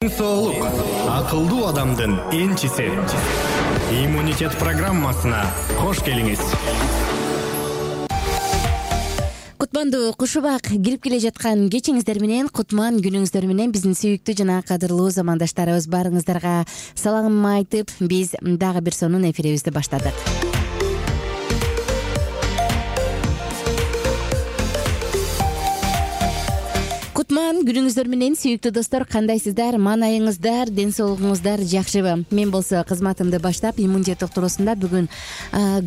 Соолук акылдуу адамдын энчиси. Иммунитет программасына кош келиңиз. Кутмандуу кушубак кирип келе жаткан кечиңиздер менен, кутман күнүңүздөр менен биздин сүйүктүү жана кадырлуу замандаштарыбыз баарыңыздарга салам айтып, биз дагы бир сонун эфирибизди баштадык. Кутман күнүңүздөр менен, сүйүктүү достор, кандайсыздар? Маанайыңыздар, ден соолугуңуздар жакшыбы? Мен болсо кызматымды баштап, иммунитет туруусунда бүгүн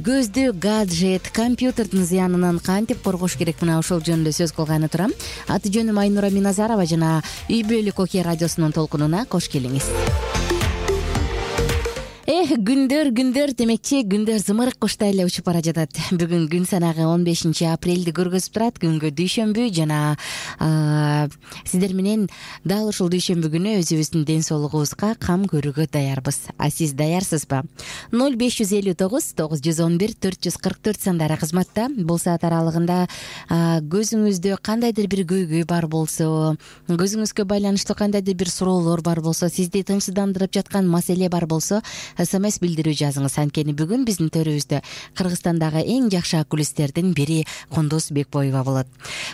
көздү, гаджет, компьютердин зыянынан кантип коргош керек, мына ошол жөнүндө сөз кылганы турам. Аты жөнүм Айнура Миназарова жана Үй бүлөлүк окуя радиосунун толкунуна кош келиңиз. Күндөр демекчи, күндөр зымырык куштай эле учуп бара жатат. Бүгүн күн санагы 15 апрелди көргөзүп турат, күнгө дүйшөмбү жана сиздер менен дал ушул дүйшөмбү күнү өзүбүздүн ден соолугубузга кам көрүүгө даярбыз. А сиз даярсызбы? 0559 911 444 сандары кызматта. Бул саат аралыгында көзүңүздө кандайдыр бир көйгөй бар болсо, көзүңүзгө байланыштуу кандайдыр бир суроолор бар болсо, сизди тынчсыздандырып жаткан маселе бар болсо, СМС билдирүү жазыңыз. Анткени бүгүн биздин төрүбүздө Кыргызстандагы эң жакшы окулисттердин бири Кундуз Бекбоева болот.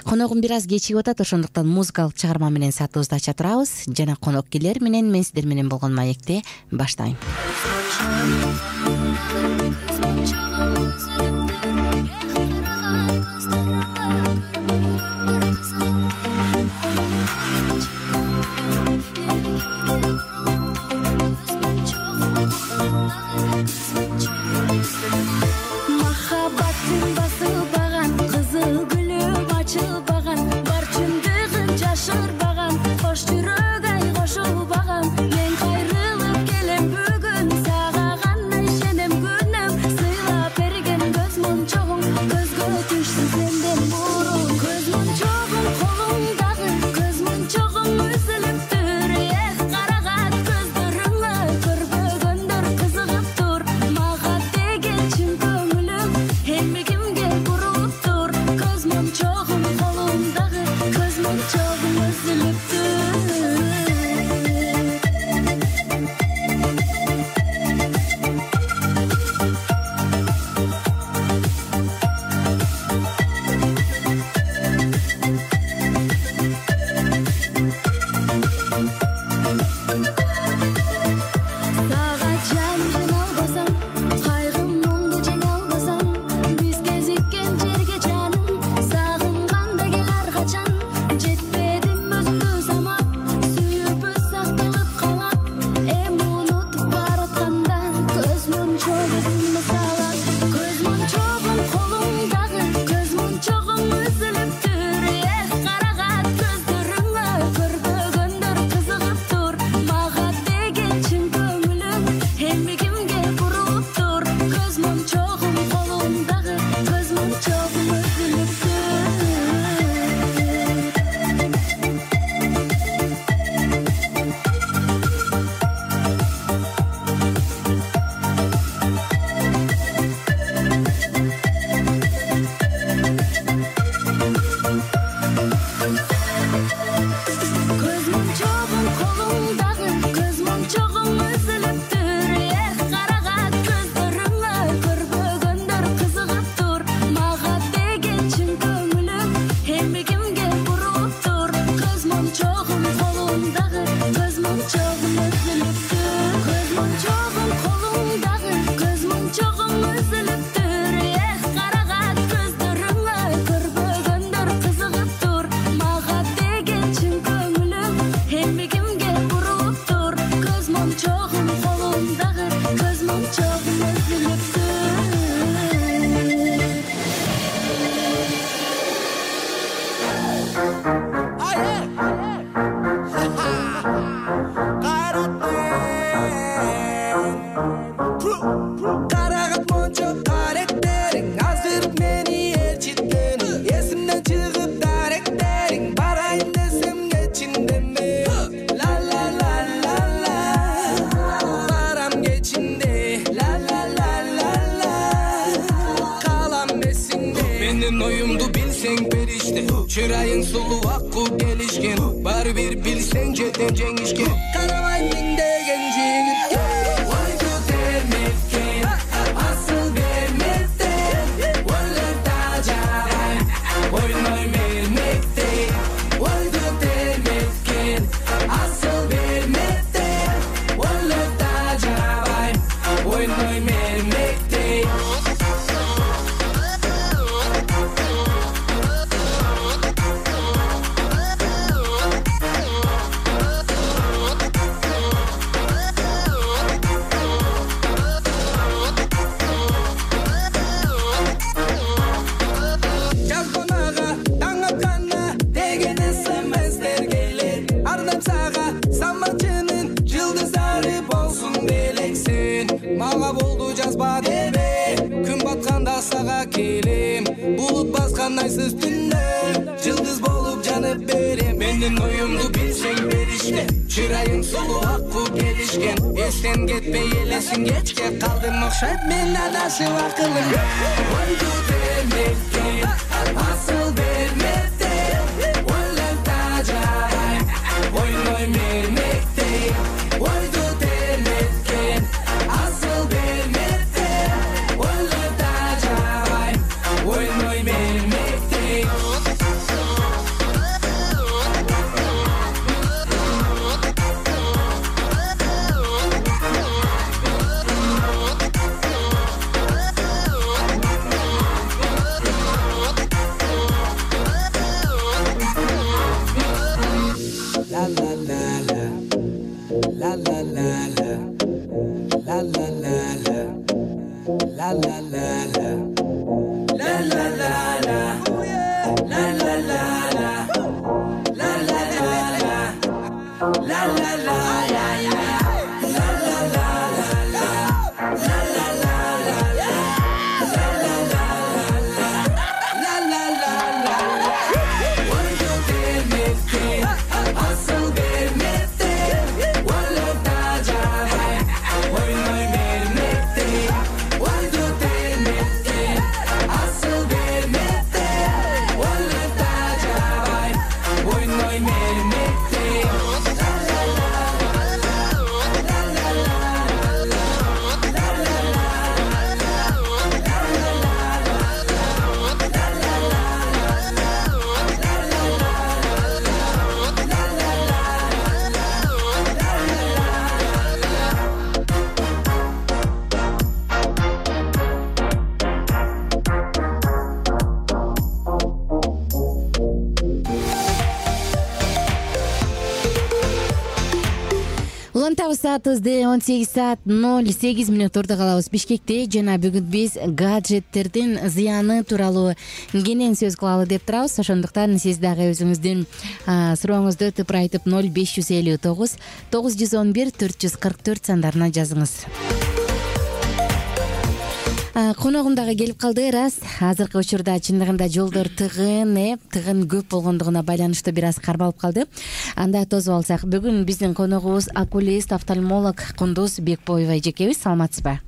Коногум бир аз кечигип атат, ошондуктан музыкалык чыгарма менен саатыбызды ача турабыз жана конок келер менен мен сиздер менен болгон маекти баштайм. Махаббаттын басылбаган, кызыл гүлүм ачылбаган, бар чындыгын жашырбаган, кош жүрөк ай кошулбаган. Мен кайрылып келем бүгүн, сага гана ишенем күнөм, сыйлап берген көз мончогуң, көзгө түшсүн сенден бурун. Көз мончогуң колуңдагы, көз мончогуң үзүлүптүр, карагат көздөрүңө көрбөгөндөр кызыгып тур. Мага деген чын көңүлүм эми кимге бурулуп тур. Көз мончогуң колуңдагы, көз мончогуң үзүлүптүр. Сага жан албасам, кайгым мұңды жеңе албасам, биз кезиккен жерге жаным, сагынганда кел ар качан. Жетпедим өзүңдү самап, сүйүүбүз сакталып калат, эми унутуп баратканда көз мончогуңду салат. Көз мончогуң колуңдагы, көз мончогуң үзүлүптүр, карагат көздөрүңө көрбөгөндөр кызыгып тур. Мага деген чын көңүлүм эми кимге бурулуп тур. Көз мончогуң колуңдагы, көз мончогуң үзүлүптүр. Көз мончогуң колуңдагы, көз мончогуң үзүлүптүр, карагат көздөрүңө көрбөгөндөр кызыгып тур. Мага деген чын көңүлүм эми кимге бурулуп тур. Көз мончогуң колуңдагы, көз мончогуң үзүлүптүр. Көз мончогуң колуңдагы, көз мончогуң үзүлүптүр, карагат көздөрүңө көрбөгөндөр кызыгып тур. Мага деген чын көңүлүм эми кимге бурулуп тур. Көз мончогуң колуңдагы, көз мончогуң үзүлүптүр. Карагат мончо каректериң, азыр мени ээрчиткени, эсимден чыгып даректериң, барайын десем кечиндеме. Ла ла ла ла ла, барам кечинде. Ла ла ла ла ла, калам эсиңде. Менин оюмду билсең периште, чырайың сулуу акку келишкен, баары бир билсең жетем жеңишке. узба деме, күн батканда сага келем, булут баскан айсыз түндө жылдыз болуп жанып берем. Менин оюмду билсең беришке, чырайың сулуу аккуу келишкен, эстен кетпей элесиң кечке калдым окшойт мен адашып акылым. Ойду бермекке асыл бермекте, ойлоп тажай ойной мермекте, ойду бермекке асыл бермекте, ойлоп тажай ойной мермекте. La la la la, la la la la, la la la la, la la la la, la la la la, la la la la, la la la la, la la la Саатыбызды 18:08 ордо калабыз Бишкекте жана бүгүн биз гаджеттердин зыяны тууралуу кенен сөз кылалы деп турабыз. Ошондуктан сиз дагы өзүңүздүн сурооңузду тыпырайтып 0559 911 444 сандарына жазыңыз. Коногум дагы келип калды. Рас, азыркы учурда чындыгында жолдор тыгын көп болгондугуна байланыштуу бир аз кармалып калды. Анда тосуп алсак, бүгүн биздин коногубуз окулист, офтальмолог Кундуз Бекбоева эжекебиз. Саламатсызбы?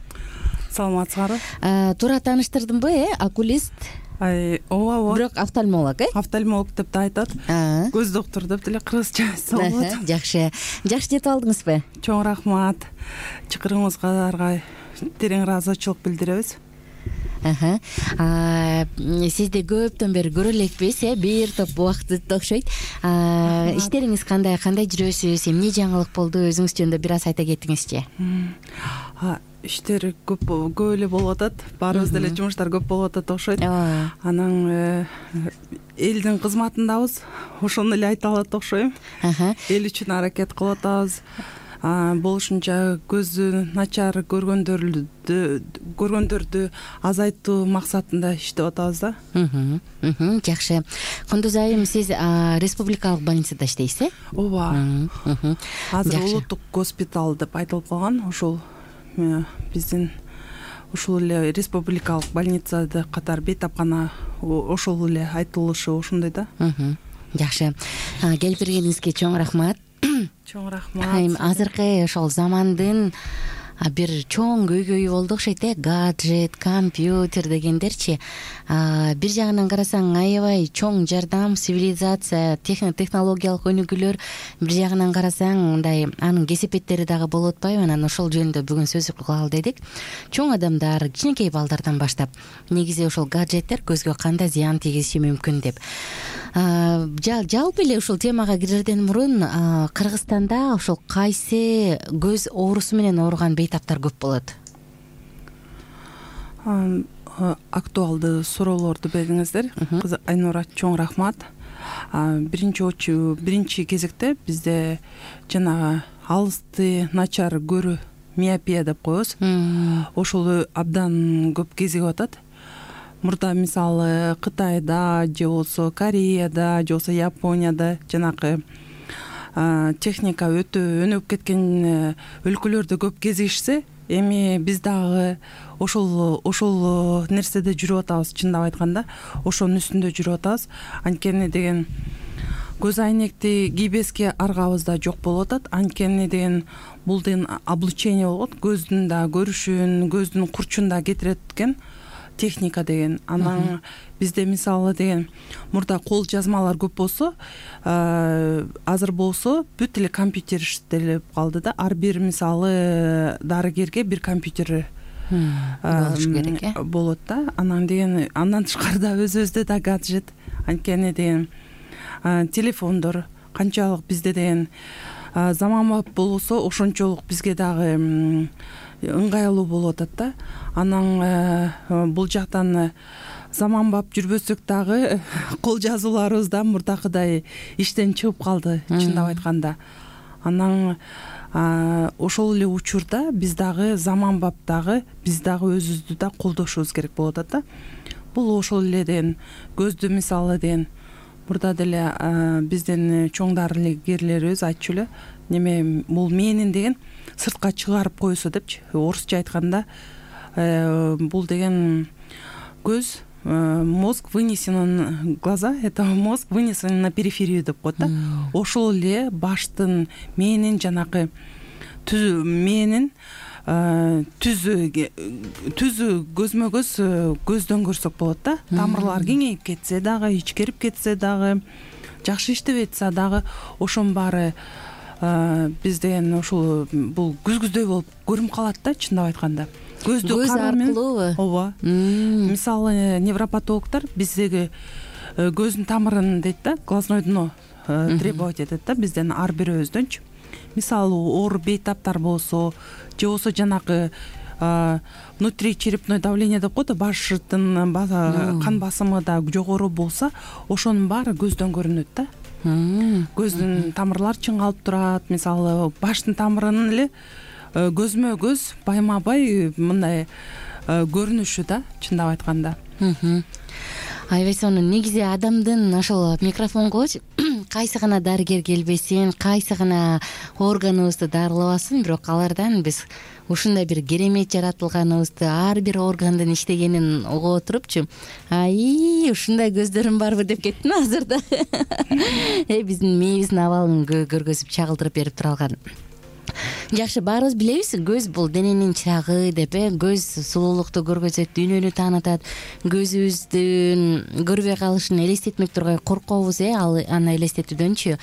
Саламатсызбы? Туура тааныштырдымбы, окулист? Ооба. Бирок офтальмолог, Офтальмолог деп да айтат. Көз доктор деп деле кыргызча айтса болот. Жакшы. Жакшы жетип алдыңызбы? Чоң рахмат. Чакыргыңызга терең ыраазычылык билдиребиз. Сизди көптөн бери көрө элекпиз, бир топ убакыт окшойт. Иштериңиз кандай жүрөсүз, эмне жаңылык болду, өзүңүз жөнүндө бир аз айта кетиңизчи. Иштер көп эле болуп атат. Баарыбыз деле жумуштар көп болуп атат окшойт. Анан элдин кызматындабыз. Ошону эле айта алат окшойм. Эл үчүн аракет кылып атабыз. Болушунча көзү начар көргөндөрдү азайтуу максатында иштеп атабыз да. Жакшы. Кундуз айым, сиз республикалык больницада иштейсиз, э? Ооба. Азыр улуттук госпиталь деп айтылып калган. Ошол биздин ушул эле республикалык больницада катар бейтапкана ошол эле айтылышы ошондой да. Жакшы. Келип бергениңизге чоң рахмат. Чоң рахмат. Азыркы ошол замандын бир чоң көйгөйү болду окшойт, гаджет, компьютер дегендерчи. Бир жагынан карасаң аябай чоң жардам, цивилизация, технологиялык өнүгүүлөр. Бир жагынан карасаң мындай анын кесепеттери дагы болуп атпайбы? Анан ошол жөнүндө бүгүн сөз кылалы дедик. Чоң адамдар, кичинекей балдардан баштап негизи ошол гаджеттер көзгө кандай зыян тийгизиши мүмкүн деп. Жалпы эле ушул темага кирерден мурун Кыргызстанда ошол кайсы көз оорусу менен ооруган бейтаптар көп болот? Актуалдуу суроолорду бердиңиздер. Айнура, чоң рахмат. Биринчи кезекте бизде жанагы алысты начар көрүү, миопия деп коебуз. Ошол абдан көп кезигип атат. Мурда мисалы Кытайда же болсо Кореяда же болсо Японияда жанагы техника өтө өнүгүп кеткен өлкөлөрдө көп кезигишсе, эми биз дагы ошол нерседе жүрүп атабыз. Чындап айтканда ошонун үстүндө жүрүп атабыз. Анткени деген көз айнекти кийбеске аргабыз да жок болуп атат. Анткени деген бул деген облучение болот. Көздүн да көрүшүн, көздүн курчун да кетирет экен техника деген. Анан бизде мисалы деген мурда кол жазмалар көп болсо, азыр болсо бүт эле компьютер иштелип калды да. Ар бир мисалы дарыгерге бир компьютер болуш керек болот да. Анан деген андан тышкарыда өзүбүздө да гаджет. Анткени деген телефондор канчалык бизде деген заманбап болсо ошончолук бизге дагы ыңгайлуу болуп атат да. Анан бул жактан заманбап жүрбөсөк дагы кол жазууларыбыз да мурдакыдай иштен чыгып калды, чындап айтканда. Анан ошол эле учурда биз дагы заманбап дагы биз дагы өзүбүздү да колдошубуз керек болуп атат да. Бул ошол эле деген көздү мисалы деген мурда деле биздин чоң дарыгерлерибиз айтчу эле, неме бул мээнин деген сыртка чыгарып койсо депчи, орусча айтканда бул деген көз мозг вынесен глаза, это мозг вынесен на периферию деп коет да. Ошол эле баштын мээнин жанакы мээнин түзү көзмө көз көздөн көрсөк болот да. Тамырлар кеңейип кетсе дагы, ичкерип кетсе дагы, жакшы иштебей атса дагы ошонун баары биз деген ошол бул күзгүздөй болуп көрүнүп калат да, чындап айтканда. Көз аркылуубу? Ооба. Мисалы невропатологдор биздеги көздүн тамырын дейт да, глазное дно требовать этет да бизден ар бирөөбүздөнчү. Мисалы оор бейтаптар болсо, же болсо жанакы внутричерепное давление деп коет, баштын кан басымы да жогору болсо, ошонун баары көздөн көрүнөт да. Көздүн тамырлары чыңалып турат. Мисалы баштын тамырынын эле көзмө көз байма бай мындай көрүнүшү да, чындап айтканда. Аябай сонун. Негизи адамдын ошол микрофонго кайсы гана дарыгер келбесин, кайсы гана органыбызды дарылабасын, бирок алардан биз ушундай бир керемет жаратылганыбызды, ар бир органдын иштегенин угуп отурупчу, ушундай көздөрүм барбы деп кеттим азыр да. Биздин мээбиздин абалын көргөзүп чагылдырып берип тура алган. Жакшы, баарыбыз билебиз, көз бул дененин чырагы деп, көз сулуулукту көргөзөт, дүйнөнү таанытат. Көзүбүздүн көрбөй калышын элестетмек тургай коркобуз, аны элестетүүдөнчү.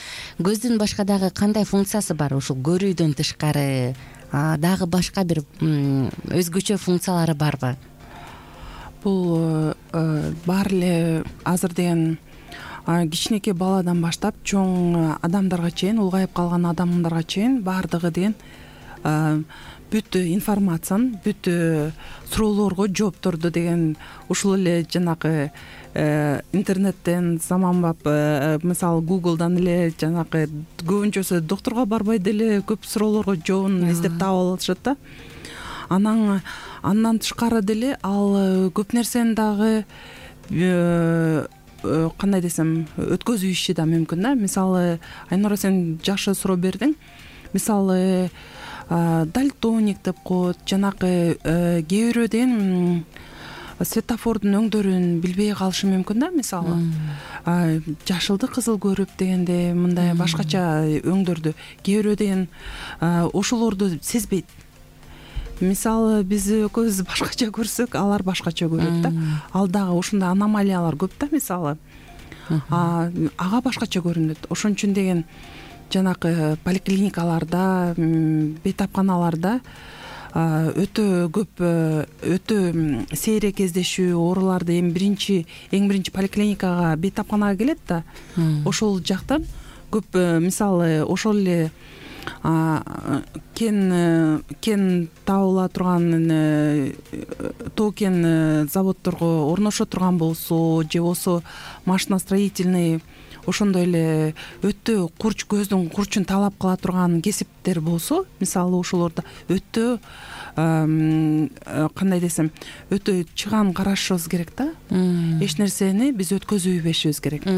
Көздүн башка дагы кандай функциясы бар? Ушул көрүүдөн тышкары дагы башка бир өзгөчө функциялары барбы? Бул бар эле азыр деген кичинекей баладан баштап чоң адамдарга чейин, улгайып калган адамдарга чейин баардыгы деген бүт информациянын, бүт суроолорго жоопторду деген ушул эле жанакы интернеттен, заманбап мисалы Google'дан эле жанакы көбүнчөсү доктурга барбай деле көп суроолорго жообун издеп таап алышат да. Андан тышкары деле ал көп нерсени дагы кандай десем өткөзүү иши да мүмкүн да. Мисалы Айнура, сен жакшы суроо бердиң. Мисалы дальтоник деп коет, жанакы кээ бирөө деген светофордун өңдөрүн билбей калышы мүмкүн да. Мисалы жашылды кызыл көрүп дегенде мындай башкача өңдөрдү кээ бирөө деген ошолорду сезбейт. Мисалы биз экөөбүз башкача көрсөк, алар башкача көрөт да. Ал дагы ушундай аномалиялар көп да. Мисалы ага башкача көрүнөт. Ошон үчүн деген жанакы поликлиникаларда, бейтапканаларда өтө көп, өтө сейрек кездешүү ооруларды эң биринчи поликлиникага, бейтапканага келет да. Ошол жактан көп мисалы ошол эле кен табыла турган тоо кен заводдорго орношо турган болсо, же болсо машиностроительный ошондой эле өтө көздүн курчун талап кыла турган кесиптер болсо, мисалы ошолордо өтө кандай десем, өтө чыгаан карашыбыз керек да. Эч нерсени биз өткөзбөйбөшүбүз керек.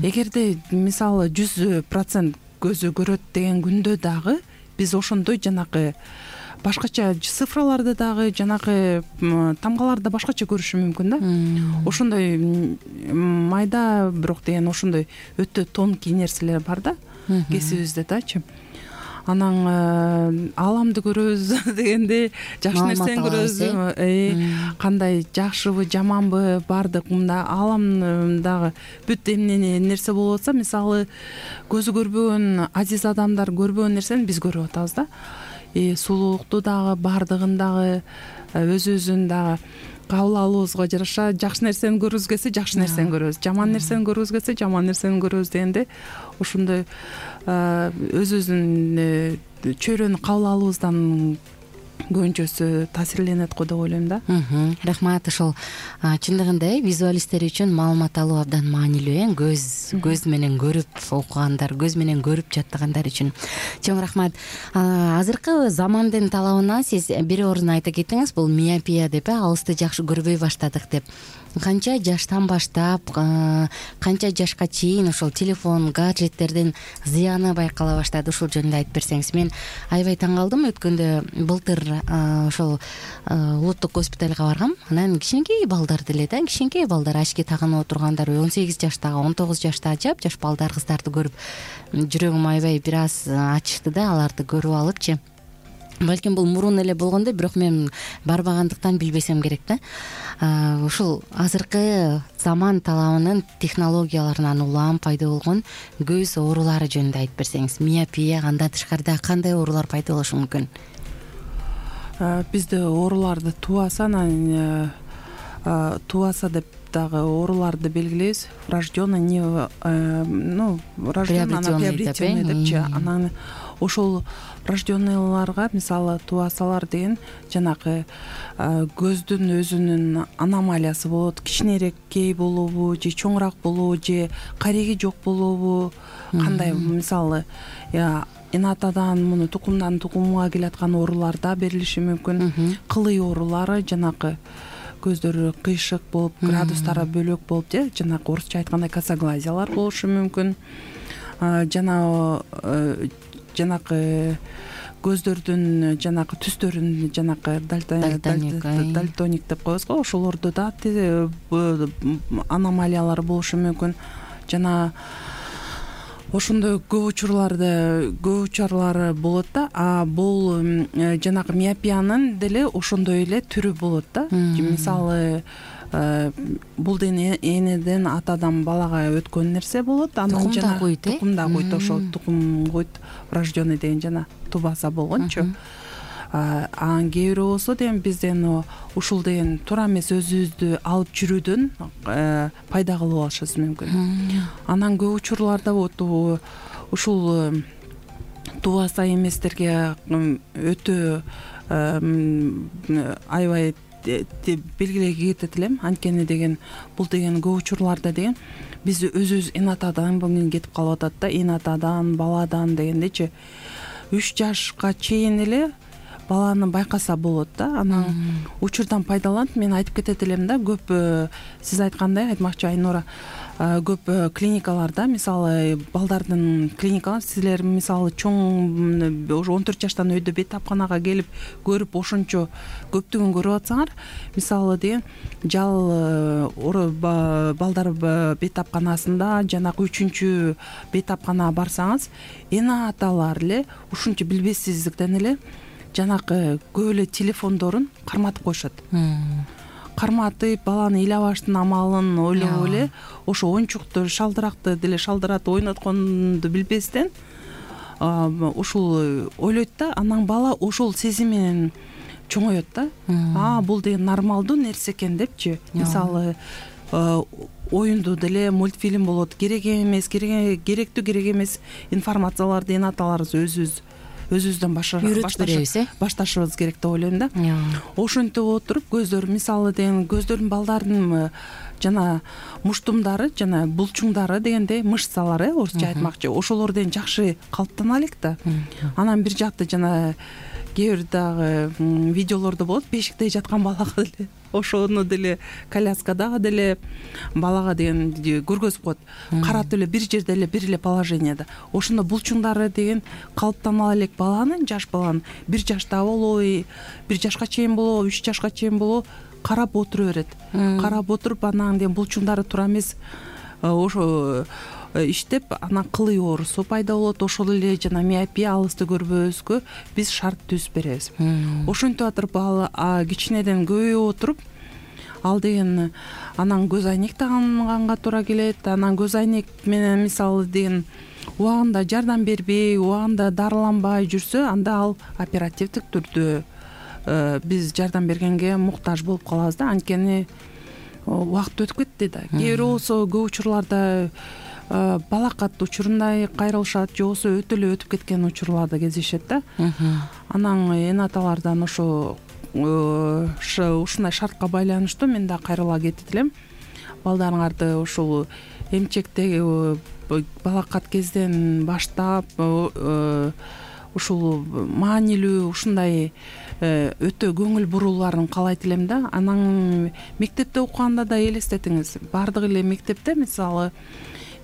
Эгерде мисалы 100% көзү көрөт деген күндө дагы биз ошондой жанакы башкача цифраларды дагы жанагы тамгаларды башкача көрүшү мүмкүн да. Ошондой майда бирок деген ошондой өтө тонкий нерселер бар да кесибибизде дачы. Анан ааламды көрөбүз дегенде жакшы нерсени көрөбүз. Кандай жакшыбы жаманбы баардык мында ааламдагы бүт эмне нерсе болуп атса, мисалы көзү көрбөгөн азиз адамдар көрбөгөн нерсени биз көрүп атабыз да. Сулуулукту дагы баардыгын дагы өзүбүздүн дагы кабыл алуубузга жараша жакшы нерсени көргүбүз келсе жакшы нерсени көрөбүз, жаман нерсени көргүбүз келсе жаман нерсени көрөбүз дегенде ошондой өзүбүздүн чөйрөнү кабыл алуубуздан көбүнчөсү таасирленет го деп ойлойм да. Рахмат. Ошол чындыгында визуалисттер үчүн маалымат алуу абдан маанилүү. Көз менен көрүп окугандар, көз менен көрүп жаттагандар үчүн чоң рахмат. Азыркы замандын талабына сиз бир орун айта кеттиңиз, бул миопия деп, алысты жакшы көрбөй баштадык деп. Канча жаштан баштап, канча жашка чейин ошол телефон, гаджеттердин зыяны байкала баштады? Ушул жөнүндө айтып берсеңиз. Мен аябай таң калдым. Өткөндө былтыр ошол улуттук госпиталга баргам. Анан кичинекей балдар деле да, кичинекей балдар очки тагынып отургандар, 18 жаштагы, 19 жаштагы жаш балдар, кыздарды көрүп жүрөгүм аябай бир аз ачышты да, аларды көрүп алыпчы. Балким бул мурун эле болгондой, бирок мен барбагандыктан билбесем керек да. Ушул азыркы заман талабынын технологияларынан улам пайда болгон көз оорулары жөнүндө айтып берсеңиз. Миопия, андан тышкарыда кандай оорулар пайда болушу мүмкүн? Бизде ооруларды тубаса деп дагы ооруларды белгилейбиз. Врожденный, приобретенный депчи. Анан ошол врожденныйларга мисалы тубасалар деген жанагы көздүн өзүнүн аномалиясы болот. Кичинерээккей болобу же чоңураак болобу же кареги жок болобу, кандай мисалы инатадан муну тукумдан тукумга келаткан оорулар да берилиши мүмкүн. Кылый оорулары, жанагы көздөрү кыйшык болуп, градустары бөлөк болуп же жанагы орусча айткандай косоглазиялар болушу мүмкүн. Жанагы көздөрдүн жанагы түстөрүн жанагы дальтоник деп коебуз го, ошолордо да аномалиялар болушу мүмкүн. Жана ошондой көп учурлары болот да. Бул жанагы миопиянын деле ошондой эле түрү болот да. Мисалы бул энеден атадан балага өткөн нерсе болот. Анан жана тукумда койт, ошол тукум койт врожденный деген жана тубаса болгончу. Анан кээ бирөө болсо деген бизден ушул деген туура эмес өзүбүздү алып жүрүүдөн пайда кылып алышыбыз мүмкүн. Анан көп учурларда ушул тубаса эместерге өтө аябай белгилей кетет элем. Анткени деген бул деген көп учурларда деген биз өзүбүз инатадан кетип калып атат да. Инатадан, баладан дегендечи 3 жашка чейин эле баланы байкаса болот да. Анан учурдан пайдаланып мен айтып кетет элем да, көп сиз айткандай, айтмакчы Айнура, көп клиникаларда мисалы балдардын клиникалар, силер мисалы чоң уже 14 жаштан өйдө бет тапканага келип көрүп ошончо көптүгүн көрүп атсаңар, мисалы деген жал балдар бет тапканасында жанагы 3-чү бет тапканага барсаңыз, эне аталар эле ушунча билбестиздиктен эле жанагы көп эле телефондорун карматып коюшат. Карматып, баланы ыйлабаштын амалын ойлоп эле ошо оюнчукту, шалдыракты деле шалдырат ойнотконду билбестен ушул ойлойт да. Анан бала ошол сезим менен чоңоет да. Бул деген нормалдуу нерсе экен депчи. Мисалы оюнду деле мультфильм болот, керек эмес, керектүү керек эмес информацияларды эне аталарыбыз өзүбүздөн башташыбыз керек деп ойлойм да. Ошентип отуруп көздөр мисалы деген көздөрдүн балдардын жана муштумдары жана булчуңдары дегенде мышцалары, орусча айтмакчы, ошолор деген жакшы калыптана элек да. Анан бир жакты жана кээ бир дагы видеолордо болот, бешикте жаткан балага деле ошону деле коляскадагы деле балага деген көргөзүп коет. Каратып эле бир жерде эле бир эле положенияда. Ошондо булчуңдары деген калыптана элек баланын, жаш баланын 1 жашта болобу, 1 жашка чейин болобу, 3 жашка чейин болобу карап отура берет. Карап отуруп анан деген булчуңдары туура эмес ошо иштеп, анан кылый оорусу пайда болот. Ошол эле жана миопия, алысты көрбөбүзгө биз шарт түзүп беребиз. Ошентип атырып кичинеден көбөйүп отуруп, ал деген анан көз айнек таганганга туура келет. Анан көз айнек менен мисалы деген убагында жардам бербей, убагында дарыланбай жүрсө, анда ал оперативдик түрдө биз жардам бергенге муктаж болуп калабыз да. Анткени убакыт өтүп кетти да. Кээ бирөө болсо көп учурларда балакат учурундай кайрылышат, же болбосо өтө эле өтүп кеткен учурларда кездешет да. Анан энаталардан ушундай шартка байланыштуу мен да кайрыла кетет элем. Балдарыңарды ушул эмчектеги балакат кезден баштап ушул маанилүү ушундай өтө көңүл бурууларын каалайт элем да. Анан мектепте окуганда да элестетиңиз, баардык эле мектепте мисалы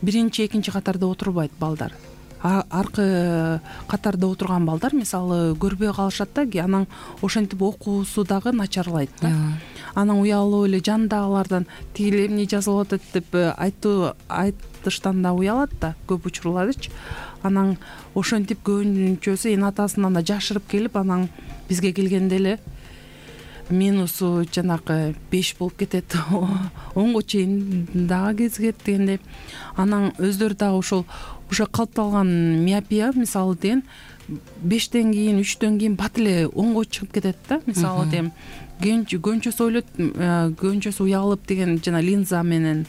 1-2 катарда отурбайт балдар. Аркы катарда отурган балдар мисалы көрбөй калышат да, анан ошентип окуусу дагы начарлайт да. Анан уялып эле жандагылардан тиги эмне жазылып атат деп айтыштан да уялат да көп учурлардычы. Анан ошентип көбүнчөсү энатасынан да жашырып келип, анан бизге келгенде эле минусу жанакы 5 болуп кетет, 10го чейин дагы кезигет дегендей. Анан өздөрү дагы ошол калыпталган миопия мисалы деген 5тен кийин, 3төн кийин бат эле 10го чыгып кетет да. Мисалы деген көнчөсү ойлойт, көнчөсү уялып деген жана линза менен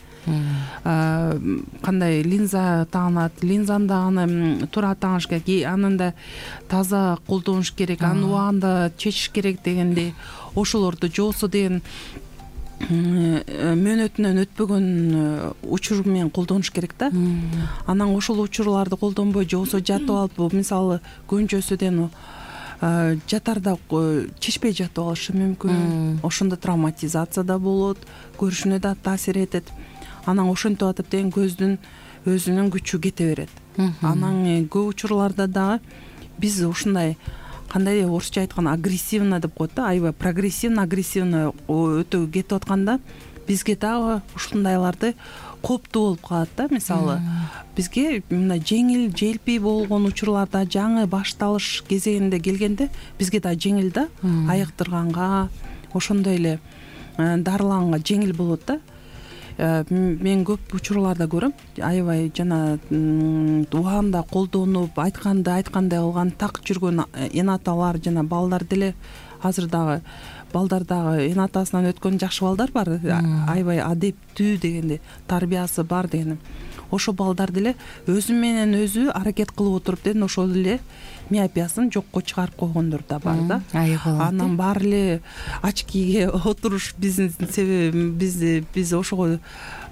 кандай линза тагынат, линзаны дагы туура тагыш керек, анын да таза колдонуш керек, аны убагында чечиш керек дегендей. Ошолорду жоосу деген мөөнөтүнөн өтпөгөн учур менен колдонуш керек да. Анан ошол учурларды колдонбой, же болбосо жатып алып, мисалы көнчөсүдөн жатарда чечпей жатып алышы мүмкүн. Ошондо травматизация да болот, көрүшүнө да таасир этет. Анан ошентип атып деген көздүн өзүнүн күчү кете берет. Анан көп учурларда дагы биз ушундай кандай орусча айтканда агрессивно деп коет да, аябай прогрессивно, агрессивно өтө кетип атканда бизге дагы ушундайларды кооптуу болуп калат да. Мисалы бизге мындай жеңил, желпий болгон учурларда, жаңы башталыш кезегинде келгенде бизге да жеңил да, айыктырганга, ошондой эле дарыланганга жеңил болот да. Мен көп учурларда көрөм, аябай жана убагында колдонуп, айткандай кылган так жүргөн энаталар жана балдар деле, азыр дагы балдар дагы энатасынан өткөн жакшы балдар бар, аябай адептүү дегенде, тарбиясы бар деген. Ошо балдар деле өзү менен өзү аракет кылып отуруп деген ошол эле миопиясын жокко чыгарып койгондор да бар да. Анан баары эле очкиге отуруш биздин себеби, биз ошого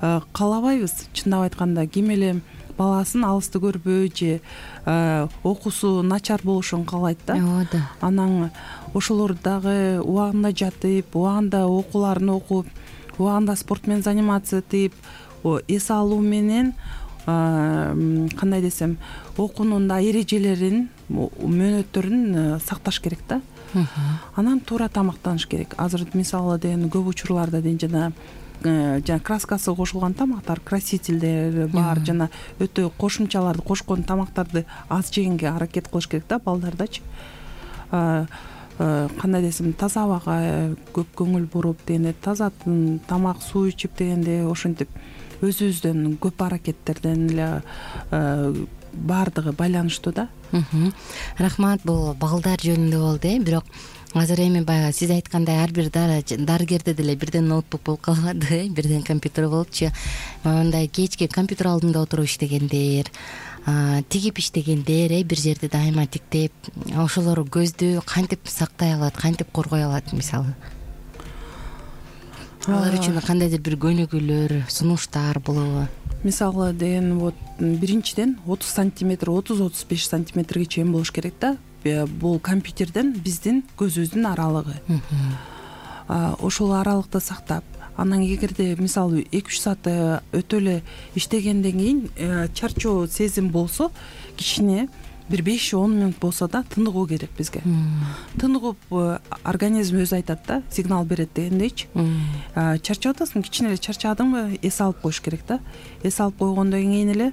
каалабайбыз. Чындап айтканда ким эле баласын алысты көрбөй же окуусу начар болушун каалайт да. Анан ошолор дагы убагында жатып, убагында окууларын окуп, убагында спорт менен заниматься этип, эс алуу менен кандай десем, окуунун да эрежелерин, мөөнөттөрүн сакташ керек да. Анан туура тамактаныш керек. Азыр мисалы деген көп учурларда деген жана краскасы кошулган тамактар, красительдер бар, жана өтө кошумчаларды кошкон тамактарды аз жегенге аракет кылыш керек да балдардачы. Кандай десем, таза абага көп көңүл буруп дегенде, таза тамак, суу ичип дегенде, ошентип өзүбүздөн көп аракеттерден эле баардыгы байланыштуу да. Рахмат, бул балдар жөнүндө болду, бирок азыр эми баягы сиз айткандай ар бир дарыгерде деле бирден ноутбук болуп калбады, бирден компьютер болупчу. Мындай кечке компьютер алдында отуруп иштегендер, тигип иштегендер, бир жерде дайыма тиктеп, ошолор көздү кантип сактай алат, кантип коргой алат мисалы? Алар үчүн кандайдыр бир көнүгүүлөр, сунуштар болобу? Мисалы деген биринчиден 30 сантиметр, 30-35 сантиметрге чейин болуш керек да. бул компьютерден биздин көзүбүздүн аралыгы. Ошол аралыкты сактап, анан эгерде мисалы 2-3 саат өтө эле иштегенден кийин чарчоо сезим болсо, кичине бир 5-10 мүнөт болсо да тыныгуу керек бизге. Тыныгып организм өзү айтат да, сигнал берет дегендейчи. Чарчап атасың, кичине эле чарчадыңбы, эс алып коюш керек да. Эс алып койгондон кийин эле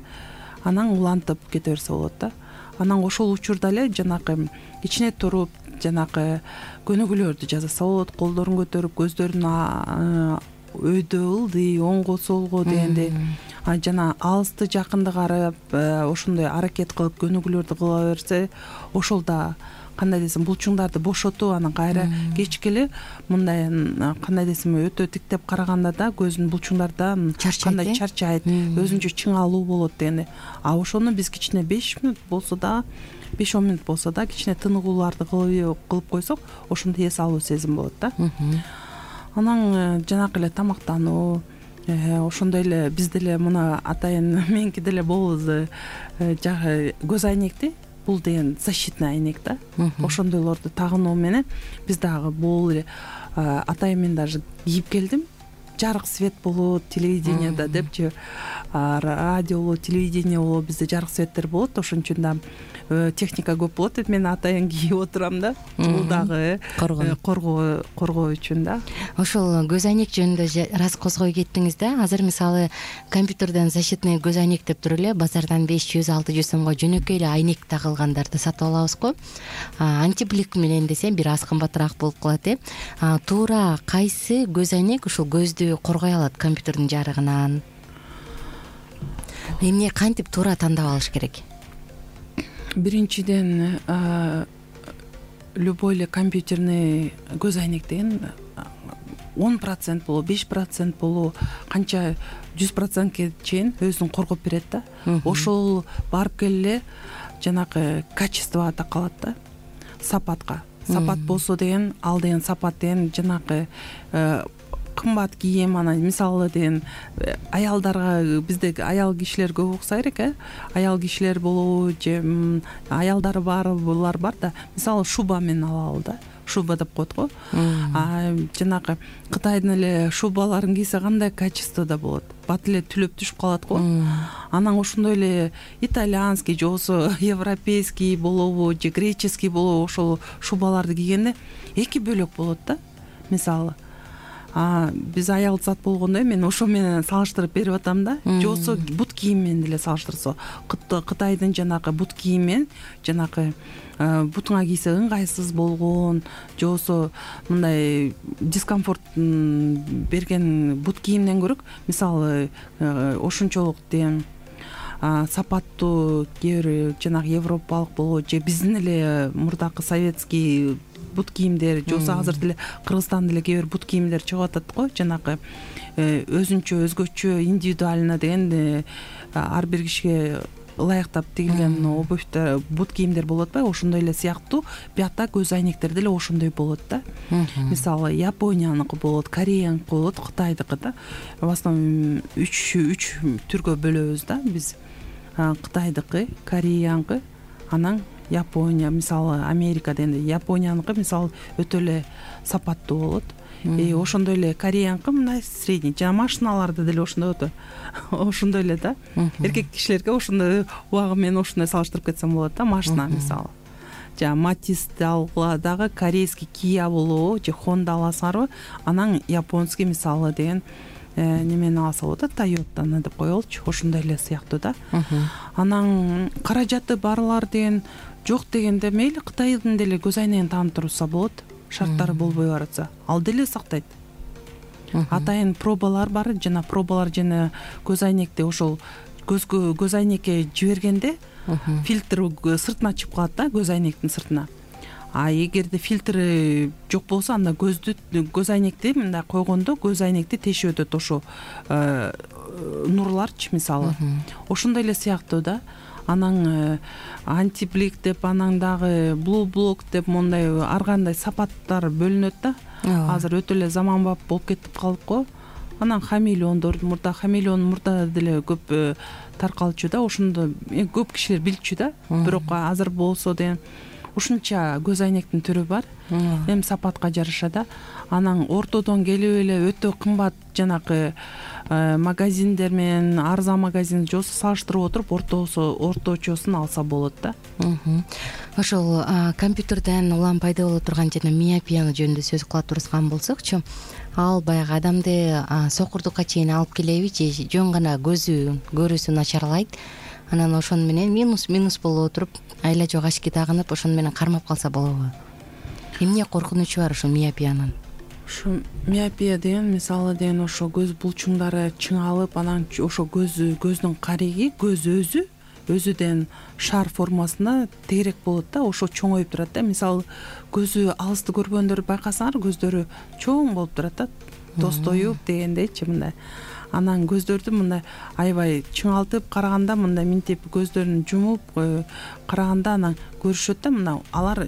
анан улантып кете берсе болот да. Анан ошол учурда эле жанакы кичине туруп, жанакы көнүгүүлөрдү жасаса болот. Колдорун көтөрүп, көздөрүн өйдө ылдый, оңго солго дегенде, жана алысты жакынды карап, ошондой аракет кылып көнүгүүлөрдү кыла берсе, ошол да кандай десем булчуңдарды бошотуп, анан кайра кечке эле мындай кандай десем өтө тиктеп караганда да көздүн булчуңдарда кандай чарчайт, өзүнчө чыңалуу болот дегенде. Ошону биз кичине 5 мүнөт болсо да, 5-10 мүнөт болсо да кичине тыныгууларды кылып койсок, ошондо эс алуу сезим болот да. Анан жанакы эле тамактануу, ошондой эле бизде деле мына атайын меники деле болобуз, жагы көз айнекти, бул деген защитный айнек да. Ошондойлорду тагынуу менен биз дагы бул эле атайын мен даже кийип келдим. Жарык свет болот телевидениеда депчи, радио болот, телевидение болот, бизде жарык светтер болот, ошон үчүн да техника көп болот деп мен атайын кийип отурам да. Бул дагы коргоо үчүн да. Ошол көз айнек жөнүндө раз козгой кеттиңиз да. Азыр мисалы компьютерден защитный көз айнек деп туруп эле базардан 500-600 сомго жөнөкөй эле айнек тагылгандарды сатып алабыз го. Антиблик менен десе бир аз кымбатыраак болуп калат Туура кайсы көз айнек ушул көздү коргой алат компьютердин жарыгынан? Эмне кантип туура тандап алыш керек? Биринчиден любой эле компьютерный көз айнек деген 10% болобу, 5% болобу, канча 100%ке чейин өзүн коргоп берет да. Ошол барып келе жанакы качествого калат да, сапатка. Сапат болсо деген, ал деген сапат деген жанакы кымбат кийим, анан мисалы деген аялдарга, бизде аял кишилер көп укса керек, аял кишилер болобу же аялдары булар бар да, мисалы шуба менен алалы да, шуба деп коет го. Жанагы Кытайдын эле шубаларын кийсе кандай качествода болот, бат эле түлөп түшүп калат го. Анан ошондой эле итальянский же болбосо европейский болобу же греческий болобу, ошол шубаларды кийгенде эки бөлөк болот да. Мисалы биз аял зат болгондо мен ошо менен салыштырып берип атам да. Же болбосо бут кийим менен деле салыштырса, Кытайдын жанагы бут кийим менен жанагы бутуңа кийсе ыңгайсыз болгон, же болбосо мындай дискомфорт берген бут кийимден көрөк, мисалы ошончолук деген сапаттуу кээ бир жанагы европалык болобу же биздин эле мурдакы советский бут кийимдер, же болбосо азыр деле Кыргызстанда деле кээ бир бут кийимдер чыгып атат го, жанагы өзүнчө өзгөчө индивидуально деген ар бир кишиге ылайыктап тигилген обувьтер, бут кийимдер болот атпайбы, ошондой эле сыяктуу биякта көз айнектер деле ошондой болот да. Мисалы Японияныкы болот, Кореяныкы болот, Кытайдыкы да. В основном 3 түргө бөлөбүз да биз. Кытайдыкы, Кореяныкы, анан Япония, мисалы Америка дегенде Японияныкы мисалы өтө эле сапаттуу болот. Ошондой эле Кореяныкы мындай средний, жана машиналарды деле ошондой болот. Ошондой эле да. Эркек кишилерге ошондой убагы менен ошондой салыштырып кетсем болот да, машина мисалы. Жана Матисти алгыла дагы корейский Kia болобу же Honda аласыңарбы, анан японский мисалы деген немени алса болот да, Toyota'ны деп коелучу, ошондой эле сыяктуу да. Анан каражаты барлар деген жок дегенде мейли Кытайдын деле көз айнегин таанып турса болот, шарттары болбой баратса, ал деле сактайт. Атайын пробалар бар, жана пробалар жана көз айнекти ошол көз айнекке жибергенде фильтр сыртына чыгып калат да, көз айнектин сыртына. Эгерде фильтри жок болсо, анда көз айнекти мындай койгондо көз айнекти тешип өтөт ошо нурларчы мисалы. Ошондой эле сыяктуу да. Анан антиблик деп, анан дагы blue block деп мондай ар кандай сапаттар бөлүнөт да. Азыр өтө эле заманбап болуп кетип калдык го. Анан хамелеондор, мурда деле көп таркалчу да, ошондо көп кишилер билчү да. Бирок азыр болсо деген ушунча көз айнектин түрү бар, эми сапатка жараша да. Анан ортодон келип эле өтө кымбат жанакы магазиндер менен арзан магазин жосу салыштырып отуруп орточосун алса болот да. Ошол компьютерден улам пайда боло турган жана миопияны жөнүндө сөз кыла турган болсокчу, ал баягы адамды сокурдукка чейин алып келеби же жөн гана көрүүсү начарлайт, анан ошону менен минус болуп отуруп айла жок очки тагынып ошону менен кармап калса болобу? Эмне коркунучу бар ушул миопиянын? Ушу миопия деген мисалы деген ошо көз булчуңдары чыңалып, анан ошо көздүн кариги, көз өзүдөн шар формасында тегерек болот да, ошо чоңоюп турат да. Мисалы көзү алысты көргөндөр байкасаңар, көздөрү чоң болуп турат да, тостоюп дегендейчи мындай. Анан көздөрдү мындай аябай чыңалтып караганда, мындай минтип көздөрүн жумуп караганда анан көрүшөт да, мына алар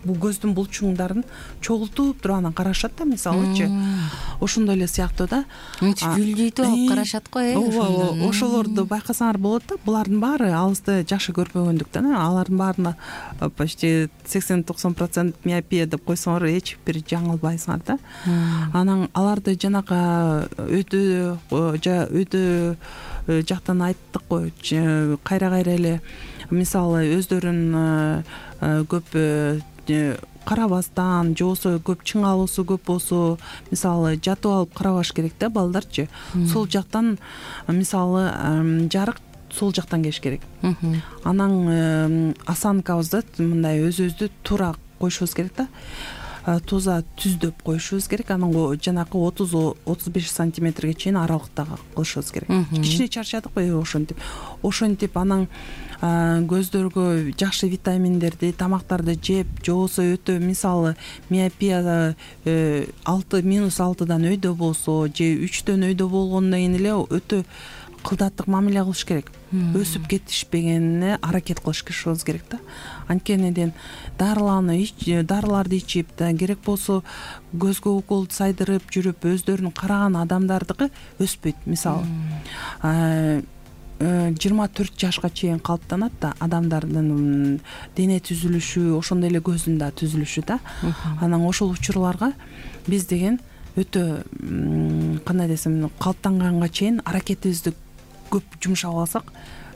бул көздүн булчуңдарын чогултуп туруп анан карашат да, мисалычы. Ошондой эле сыяктуу да. Мынча гүлдүйт алып карашат го, ооба, ошолорду байкасаңар болот да. Булардын баары алысты жакшы көрбөгөндүктөн, алардын баарына почти 80-90% миопия деп койсоңор эч бир жаңылбайсыңар да. Анан аларды жанакы өйдө жактан айттык го, кайра эле мисалы өздөрүн көп карабастан же болбосо көп чыңалуусу көп болсо, мисалы жатып алып карабаш керек да балдарчы. Сол жактан мисалы жарык сол жактан келиш керек. Анан осанкабызды мындай өзүбүздү туура коюшубуз керек да. Туза түздөп коюшубуз керек. Анан жанакы 30-35 сантиметрге чейин аралыкта кылышыбыз керек. Кичине чарчадыкпы ошентип анан көздөргө жакшы витаминдерди, тамактарды жеп, же болбосо өтө мисалы миопия -6дан өйдө болсо же 3дөн өйдө болгондон кийин эле өтө кылдаттык мамиле кылыш керек. Өсүп кетишпегенине аракет кылышыбыз керек да. Анткени дарыларды ичип да, керек болсо көзгө укол сайдырып жүрүп өздөрүн караган адамдардыкы өспөйт. Мисалы 24 жашка чейин калыптанат да адамдардын дене түзүлүшү, ошондой эле көздүн да түзүлүшү да. Анан ошол учурларга биз деген өтө кандай десем, калыптанганга чейин аракетибизди көп жумшап алсак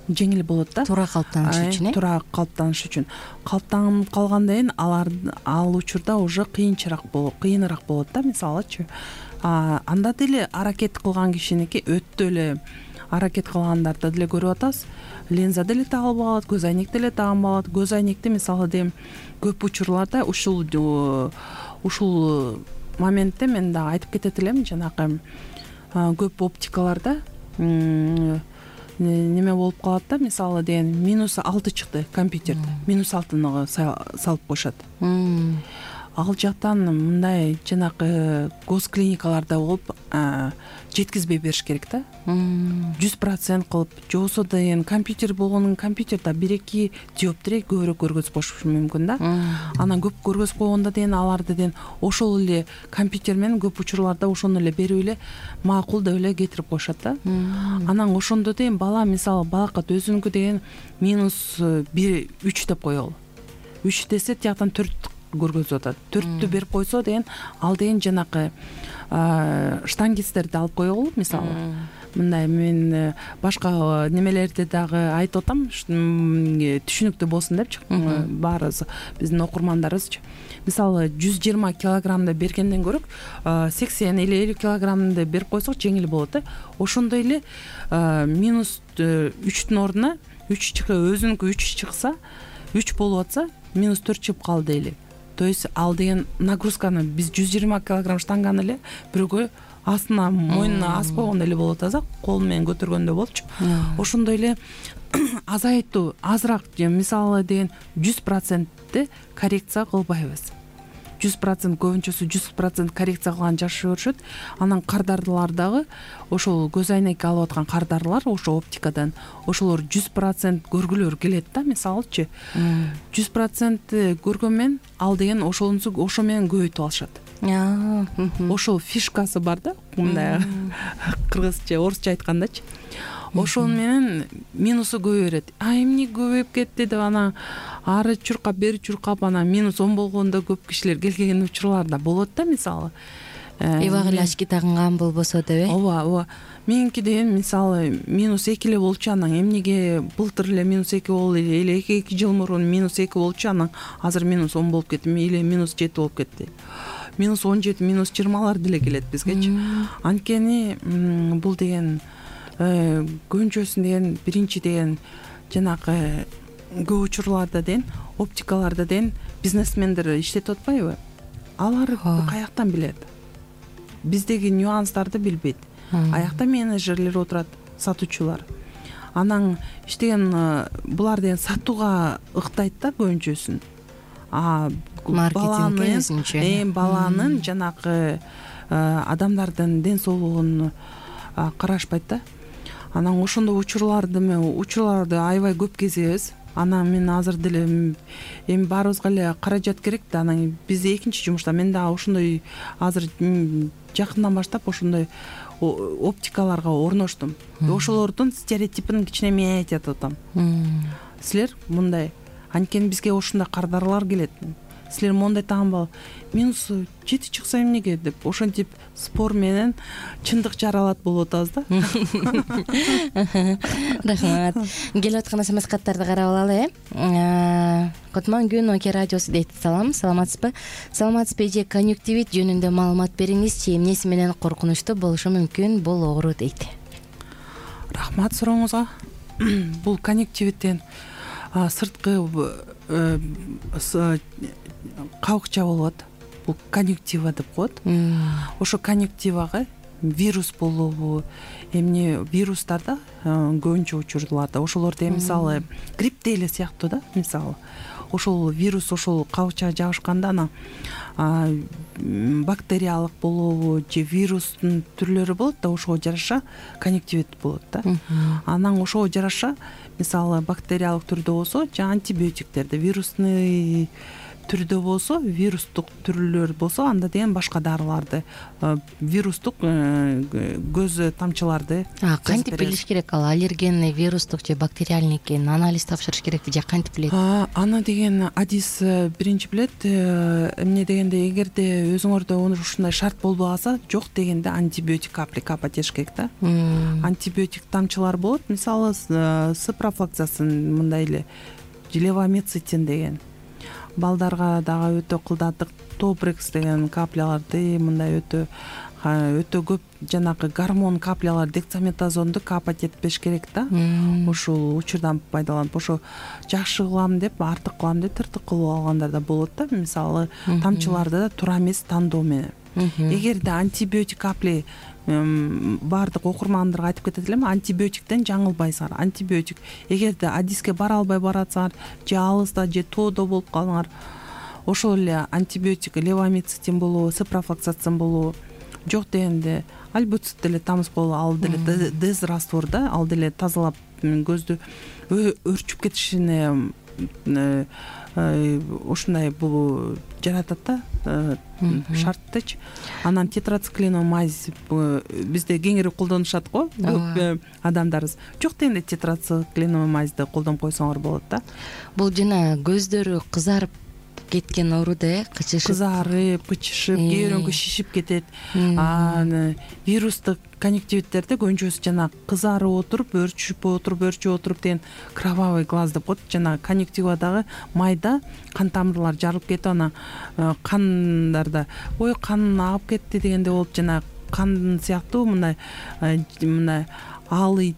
жеңил болот да. Туура калыптаныш үчүн, туура калыптаныш үчүн. Калыптанып калгандан кийин ал учурда уже кыйыныраак болот да, мисалычы. Анда деле аракет кылган кишиники өтө эле аракет кылгандарды деле көрүп атабыз. Линза деле тагылып алат, көз айнек деле тагып алат. Көз айнекти мисалы дем көп учурларда ушул моментте мен да айтып кетет элем, жанакы көп оптикаларда неме болуп калат да, мисалы деген -6 чыкты компьютерде, -6 салып коюшат. Ал жактан мындай жанакы госклиникаларда болуп жеткизбей бериш керек да. 100% кылып, же болбосо деген компьютер болгонун компьютерде 1-2 диоптрия көбүрөөк көргөзүп коюшу мүмкүн да. Анан көп көргөзүп койгондо деген аларды деген ошол эле компьютер менен көп учурларда ошону эле берип эле макул деп эле кетирип коюшат да. Анан ошондо деген бала мисалы балакат өзүнүкү деген -3 деп коелу. 3 десе тияктан 4 көргөзүп атат. 4тү берип койсо деген ал деген жанакы штангисттерди алып коелу мисалы. Мындай мен башка немелерди дагы айтып атам, түшүнүктүү болсун депчи. Баарыбыз биздин окурмандарыбызчы. Мисалы 120 килограммды бергенден көрө 80 или 50 килограммды берип койсок жеңил болот да. Ошондой эле -3түн ордуна 3 өзүнүкү 3 чыкса, 3 болуп атса -4 чыгып калды дейли. То есть ал деген нагрузканы биз 120 килограмм штанганы эле бирөөгө астына мойнуна асып койгондой эле болуп атабыз, кол менен көтөргөндөй болупчу. Ошондой эле азайтуу азыраак мисалы деген 100% коррекция кылбайбыз. 100% көбүнчөсү 100% коррекция кылган жакшы көрүшөт. Анан кардарлар дагы ошол көз айнек алып аткан кардарлар ошо оптикадан ошолор 100% көргүлөр келет да, мисалычы. 100% көргөн менен ал деген ошо менен көбөйтүп алышат. Ошол фишкасы бар да, мындай кыргызча, орусча айткандачы. ошол менен минусу көбөйөт. Эмне көбөйүп кетти деп анан ары чуркап бери чуркап анан минус 10 болгондо көп кишилер келген учурлар да болот да, мисалы. Эбак эле очки тагынган болбосо деп. Ооба. Меники деген мисалы -2 эле болчу, анан эмнеге былтыр эле -2 болду эле 2 жыл мурун -2 болчу, анан азыр -10 болуп кетти или -7 болуп кетти. -17, -20 деле келет бизгечи. Анткени бул деген көбүнчөсүн деген биринчи деген жанагы көп учурларда деген оптикаларда деген бизнесмендер иштетип атпайбы? Алар каяктан билет? Биздеги нюанстарды билбейт. Аякта менеджерлер отурат, сатуучулар. Анан иштеген булар деген сатууга ыктайт да көбүнчөсүн. Баланын жанагы адамдардын ден соолугун карашпайт да. Анан ошондой учурларды аябай көп кезебиз. Анан мен азыр деле эми баарыбызга эле каражат керек да. Анан биз экинчи жумушта мен дагы ошондой азыр жакындан баштап ошондой оптикаларга орноштум. Ошолордун стереотипин кичине менетип атам. Силер мындай, анткени бизге ушундай кардарлар келет. Силер мондай тагынбы? -7 чыкса эмнеге деп ошентип спор менен чындык жаралат болуп атабыз да. Рахмат. Келип аткан смс-каттарды карап алалы. Котман күн Оке радиосу дейт. Саламатсызбы? Саламатсызбы же конъюнктивит жөнүндө маалымат бериңизчи, эмнеси менен коркунучтуу болушу мүмкүн бул оору дейт. Рахмат сурооңузга. Бул конъюнктивиттен сырткы кабыкча болот. Бул конъюнктива деп коет. Ошо конъюнктивага вирус болобу, эмне вирустарда көбүнчө учурларда ошолорду мисалы грипп эле сыяктуу да, мисалы. Ошол вирус ошол кабыкчага жабышканда анан бактериялык болобу же вирустун түрлөрү болот да, ошого жараша конъюнктивит болот да. Анан ошого жараша мисалы бактериялык түрдө болсо же антибиотиктерди, вирусный түрдө болсо, вирустук түрлөр болсо анда деген башка дарыларды, вирустук көз тамчыларды. Кантип билиш керек? Ал аллергенный, вирустук же бактериальный экенин анализ тапшырыш керекпи же кантип билет? Аны деген адис биринчи билет. Эмне дегенде эгерде өзүңөрдө ушундай шарт болбой калса, жок дегенде антибиотик капать этиш керек да. Антибиотик тамчылар болот. Мисалы спрофлаксасын мындай эле левомицетин деген. Балдарга дагы өтө кылдаттык топрекс деген капляларды мындай өтө көп жанагы гормон каплялар дексаметазонду капать этпеш керек да. Ушул учурдан пайдаланып ошо жакшы кылам деп, артык кылам деп тыртык кылып алгандар да болот да. Мисалы тамчыларды да туура эмес тандоо менен. Эгерде антибиотик капли баардык окурмандарга айтып кетет элем, антибиотиктен жаңылбайсыңар. Антибиотик эгерде адиске бара албай баратсаңар же алыста же тоодо болуп калыңар, ошол эле антибиотик левомицетин болобу, спрофлаксацин болобу, жок дегенде альбуцит деле тамыз болобу, ал деле дез раствор да, ал деле тазалап көздү өрчүп кетишине ушундай бул жаратат да, шарттычы. Анан тетрациклиномайз бизде кеңири колдонушат го көп адамдарыбыз. Жок дегенде тетрациклиномайзди колдонуп койсоңор болот да. Бул жана көздөрү кызарып кеткен оору да, кызарып, кычышып, кээ шишип кетет. Вирустук конъюнктивиттерде көбүнчөсү жана кызарып отуруп, өрчүп отуруп деген кровавый глаз деп коет. Жана конъюнктивадагы майда кан тамырлар жарылып кетип, анан кандарда ой кан агып кетти дегенде болуп, жана кан сыяктуу мындай алый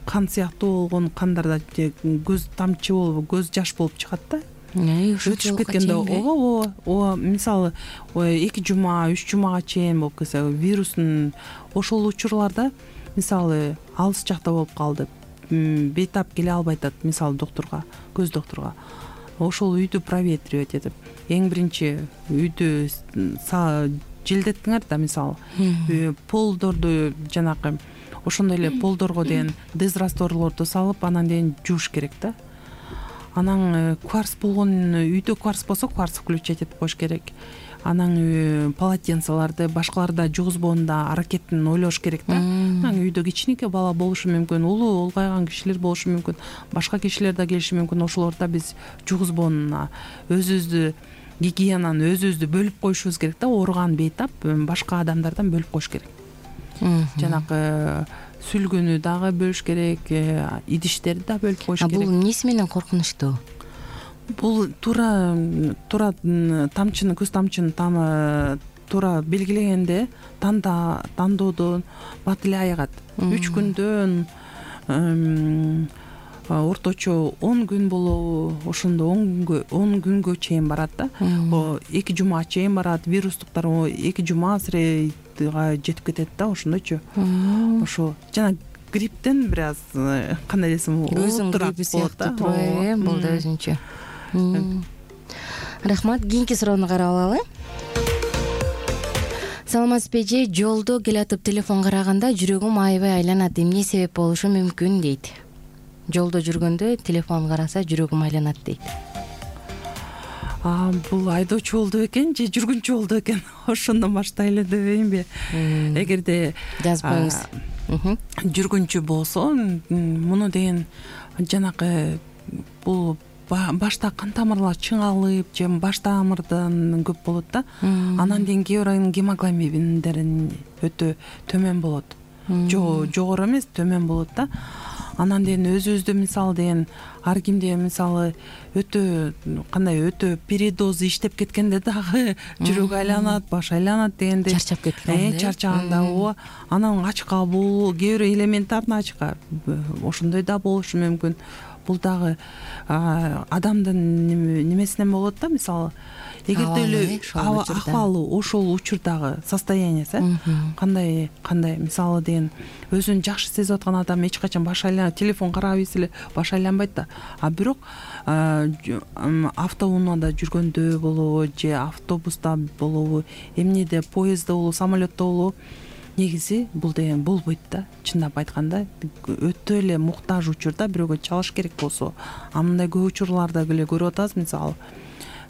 кан сыяктуу болгон кандарда көз тамчы болуп, көз жаш болуп чыгат да. Өтүшүп кеткенде ооба мисалы 2 жума 3 жумага чейин болуп кетсе, вирустун ошол учурларда мисалы алыс жакта болуп калды, бейтап келе албай атат мисалы доктурга, көз доктурга. Ошол үйдү проветривать этип, эң биринчи үйдү желдеттиңер да, мисалы полдорду жанакы ошондой эле полдорго деген дез растворлорду салып анан деген жууш керек да. анан кварц болгон үйдө кварц болсо кварц включать этип коюш керек. Анан полотенцелерди башкаларда жугузбоонда аракетин ойлош керек да. Анан үйдө кичинекей бала болушу мүмкүн, улуу улгайган кишилер болушу мүмкүн, башка кишилер да келиши мүмкүн. Ошолордо биз жугузбоону өзүбүздү гигиенаны өзүбүздү бөлүп коюшубуз керек да. Ооруган бейтап башка адамдардан бөлүп коюш керек. Жанагы сүлгүнү дагы бөлүш керек, идиштерди да бөлүп коюш керек. Бул эмнеси менен коркунучтуу? Бул туура тамчыны, көз тамчыны туура белгилегенде тандоодон бат эле аягат. 3 күндөн орточо 10 күн болобу, ошондо 10 күнгө чейин барат да. 2 жума чейин барат. Вирустуктар 2 жума сырейга жетип кетет да, ошондойчу. Ошо жана грипптен бир аз кандай десем, көзүң гриппи сыяктуу турбайбы? Бул да өзүнчө. Рахмат. Кийинки суроону карап алалы. Саламатсызбы эже, жолдо келатып телефон караганда жүрөгүм аябай айланат. Эмне себеп болушу мүмкүн дейт. Жолдо жүргөндө телефон караса жүрөгүм айланат дейт. Бул айдоочу болду экен же жүргүнчү болду экен? Ошондон баштайлы дебейинби? Эгерде жазбаңыз. Жүргүнчү болсо, муну деген жанагы бул башта кан тамырлар чыңалып, же баш тамырдан көп болот да. Анан кийин кээ бир гемоглобиндерин өтө төмөн болот. Жогору эмес, төмөн болот да. Анан деген өзүбүздө мисалы деген ар кимде мисалы өтө передоз иштеп кеткенде дагы жүрөк айланат, баш айланат дегенде чарчап кеткенде, чарчаганда ооба. Анан ач калуу, кээ бир элементарный ачка ошондой да болушу мүмкүн. Бул дагы адамдын немесинен болот да. Мисалы эгерде эле акыбалы ошол учурдагы состояниясы кандай мисалы деген өзүн жакшы сезип аткан адам эч качан баш айланбайт, телефон карап эле баш айланбайт да. Бирок автоунаада жүргөндө болобу же автобуста болобу, эмнеде, поездде болобу, самолетто болобу, негизи бул деген болбойт да. Чындап айтканда өтө эле муктаж учурда бирөөгө чалыш керек болсо, мындай көп учурларда эле көрүп атабыз. Мисалы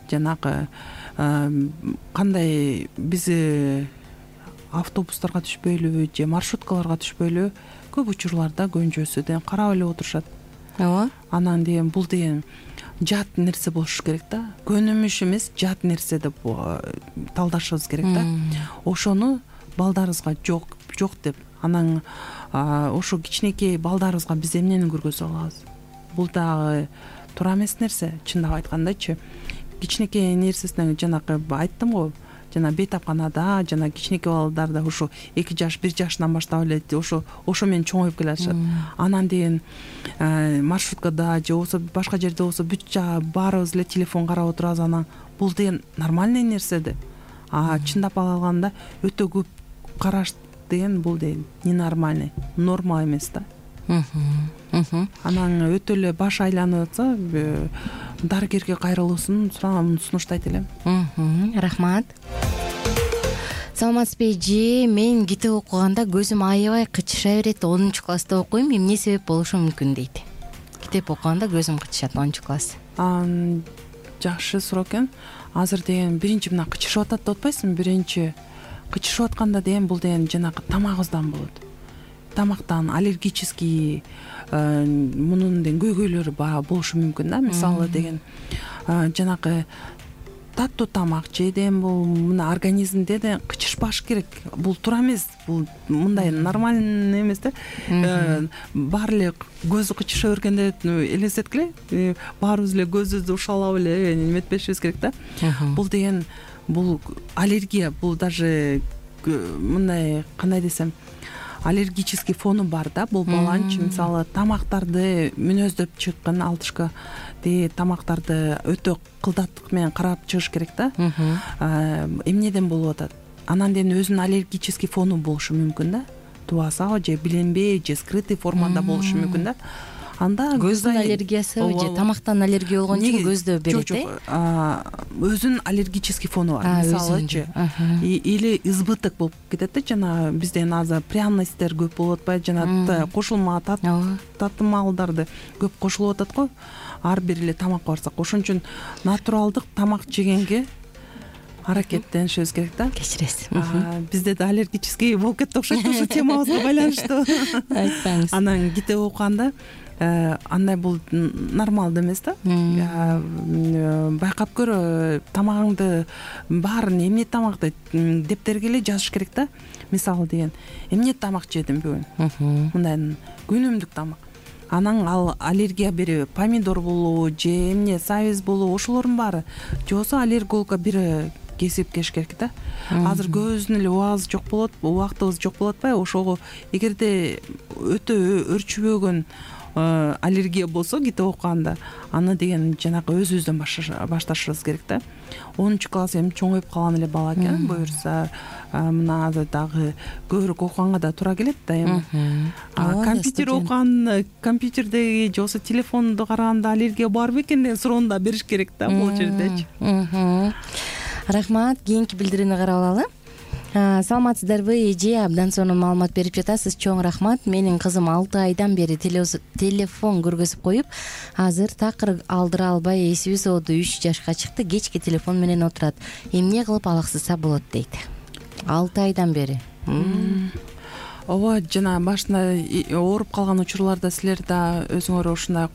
жанагы кандай биз автобустарга түшпөйлүбү же маршруткаларга түшпөйлүбү көп учурларда көбүнчөсү деген карап эле отурушат. Ооба. Анан деген бул деген жат нерсе болушу керек да. Көнүмүш эмес, жат нерсе деп талдашыбыз керек да. Ошону балдарыбызга жок деп, анан ошо кичинекей балдарыбызга биз эмнени көргөзө алабыз? Бул дагы туура эмес нерсе, чындап айткандачы. Кичинекей нерсесинен жанагы айттым го, жана бейтапканада жана кичинекей балдарда ошо 2 жаш 1 жашынан баштап эле ошо менен чоңоюп келатышат. Анан деген маршруткада же болбосо башка жерде болсо баарыбыз эле телефон карап отурабыз. Анан бул деген нормальный нерсе да. Чындап алганда өтө көп караш деген бул деген ненормальный, норма эмес да. Анан өтө эле баш айланып атса, дарыгерге кайрылуусун сунуштайт элем. Рахмат. Саламатсызбы эже, мен китеп окуганда көзүм аябай кычыша берет. 10-класста окуйм, эмне себеп болушу мүмкүн дейт. Китеп окуганда көзүм кычышат 10-класс. Жакшы суроо экен. Азыр деген биринчи мына кычышып атат деп атпайсыңбы? Биринчи кычышып атканда деген бул деген жанагы тамагыбыздан болот. Тамактан аллергический мунун деген көйгөйлөрү болушу мүмкүн да. Мисалы деген жанагы таттуу тамак жеден бул мына организмде да кычышпаш керек. Бул туура эмес. Бул мындай нормальный эмес да. Баары эле көзү кычыша бергенде элестеткиле, баарыбыз эле көзүбүздү ушалап эле неметпешибиз керек да. Бул деген бул аллергия, бул даже мындай кандай десем, аллергический фону бар да. Бул баланчы мисалы тамактарды мүнөздөп чыккан алтышка тамактарды өтө кылдаттык менен карап чыгыш керек да. Эмнеден болуп атат? Анан деген өзүнүн аллергический фону болушу мүмкүн да. Тубасабы же билинбей же скрытый формада болушу мүмкүн да. Анда көздүн аллергиясы же тамактан аллергия болгон үчүн көздө берет э? Өзүнүн аллергический фону бар. Мисалычы или избыток болуп кетет да. Жана бизде азыр пряностьтер көп болуп атпайбы? Жана кошулма татымалдарды көп кошулуп атат го. ар бир эле тамакка барсак, ошон үчүн натуралдык тамак жегенге аракеттенишибиз керек да. Кечиресиз. Бизде да аллергический болуп кетти окшойт ушу темабызга байланыштуу. Айтпаңыз. Анан китеп окуганда андай бул нормалдуу эмес да. Байкап көр, тамагыңды баарын эмне тамак дептерге эле жазыш керек да. Мисалы деген, эмне тамак жедим бүгүн, мындай күнүмдүк тамак. Анан ал аллергия береби, помидор болобу же эмне сабиз болобу, ошолордун баары же болбосо аллергологко бир кесип келиш керек да. Азыр көбүбүздүн эле убагыбыз жок болот, убактыбыз жок болуп атпайбы? Ошого эгерде өтө өрчүбөгөн аллергия болсо китеп окуганда, аны деген жанагы өзүбүздөн башташыбыз керек да. 10-класс эми чоңоюп калган эле бала экен, буюрса мына дагы көбүрөөк окуганга да туура келет да эми. Компьютер окуган, компьютердеги же болбосо телефонду караганда аллергия бар бекен деген суроону да бериш керек да бул жердечи. Рахмат, кийинки билдирүүнү карап алалы. Саламатсыздарбы эже, абдан сонун маалымат берип жатасыз. Чоң рахмат. Менин кызым 6 айдан бери телефон көргөзүп коюп, азыр такыр алдыра албай эсиби сооду 3 жашка чыкты. Кечки телефон менен отурат. Эмне кылып алаксытса болот дейт. 6 айдан бери. Ооба, жана башында ооруп калган учурларда силер да өзүңөр ушундай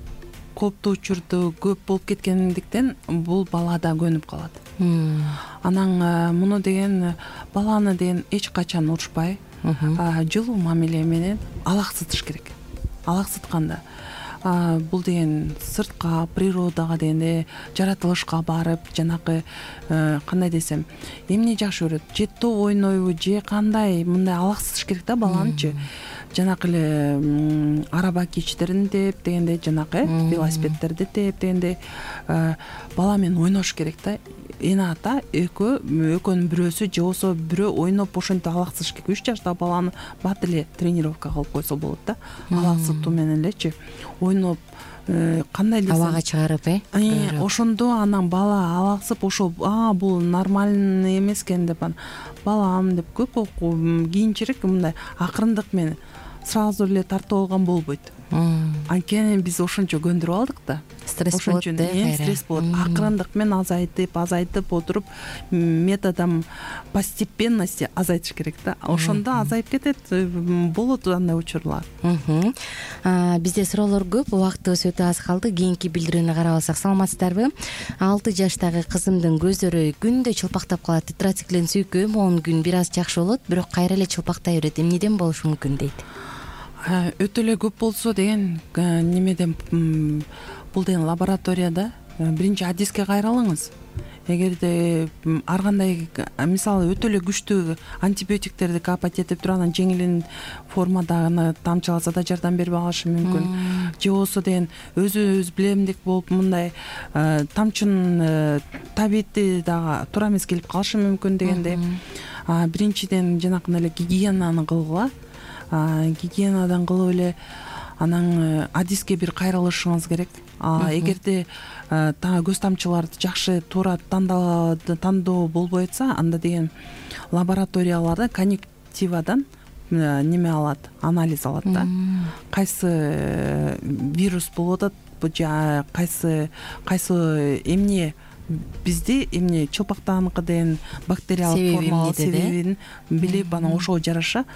кооптуу учурду көп болуп кеткендиктен бул бала да көнүп калат. Анан муну деген баланы деген эч качан урушпай, жылуу мамиле менен алаксытыш керек. Алаксытканда бул деген сыртка, природага дегенде жаратылышка барып, жанагы кандай десем, эмне жакшы көрөт, же топ ойнойбу, же кандай, мындай алаксытыш керек да баланычы. Жанагы эле араба кичтерин деп дегенде, жанагы велосипедтерди деп дегенде бала менен ойнош керек да. Эне ата экөөнүн бирөөсү же болбосо бирөө ойноп ошентип алаксытыш керек. 3 жаштагы баланы бат эле тренировка кылып койсо болот да. Алаксытуу менен элечи ойноп кандай десем абага чыгарып, ошондо анан бала алаксып, ошо бул нормальный эмес экен деп балам деп көп кийинчерээк мындай акырындык менен сразу эле тартып алган болбойт. Анткени биз ошончо көндүрүп алдык да. Стресс болот да. Стресс болот. Акырындык менен азайтып отуруп, методом постепенности азайтыш керек да. Ошондо азайып кетет. Болот андай учурлар. Бизде суроолор көп, убактыбыз өтө аз калды. Кийинки билдирүүнү карап алсак. Саламатсыздарбы? 6 жаштагы кызымдын көздөрү күндө чылпактап калат. Тетрациклин сүйкөм 10 күн бир аз жакшы болот, бирок кайра эле чылпактай берет. Эмнеден болушу мүмкүн дейт. Өтө эле көп болсо деген немеден, бул деген лабораторияда биринчи адиске кайрылыңыз. Эгерде ар кандай, мисалы өтө эле күчтүү антибиотиктерди капать этип туруп, анан жеңил формада тамчыласа да жардам бербей калышы мүмкүн. Же болбосо деген өзүбүз билемдик болуп мындай тамчынын табити дагы туура эмес келип калышы мүмкүн дегенде, биринчиден жанакы эле гигиенаны кылгыла. Гигиенадан кылып эле анан адиске бир кайрылышыңыз керек. Эгерде көз тамчыларды жакшы туура тандоо болбой атса, анда деген лабораторияларда конъюнктивадан неме алат, анализ алат да. Кайсы вирус болуп атат, же кайсы эмне бизди эмне чылпактаныкы деген бактериялык форма себебин билип, анан ошого жараша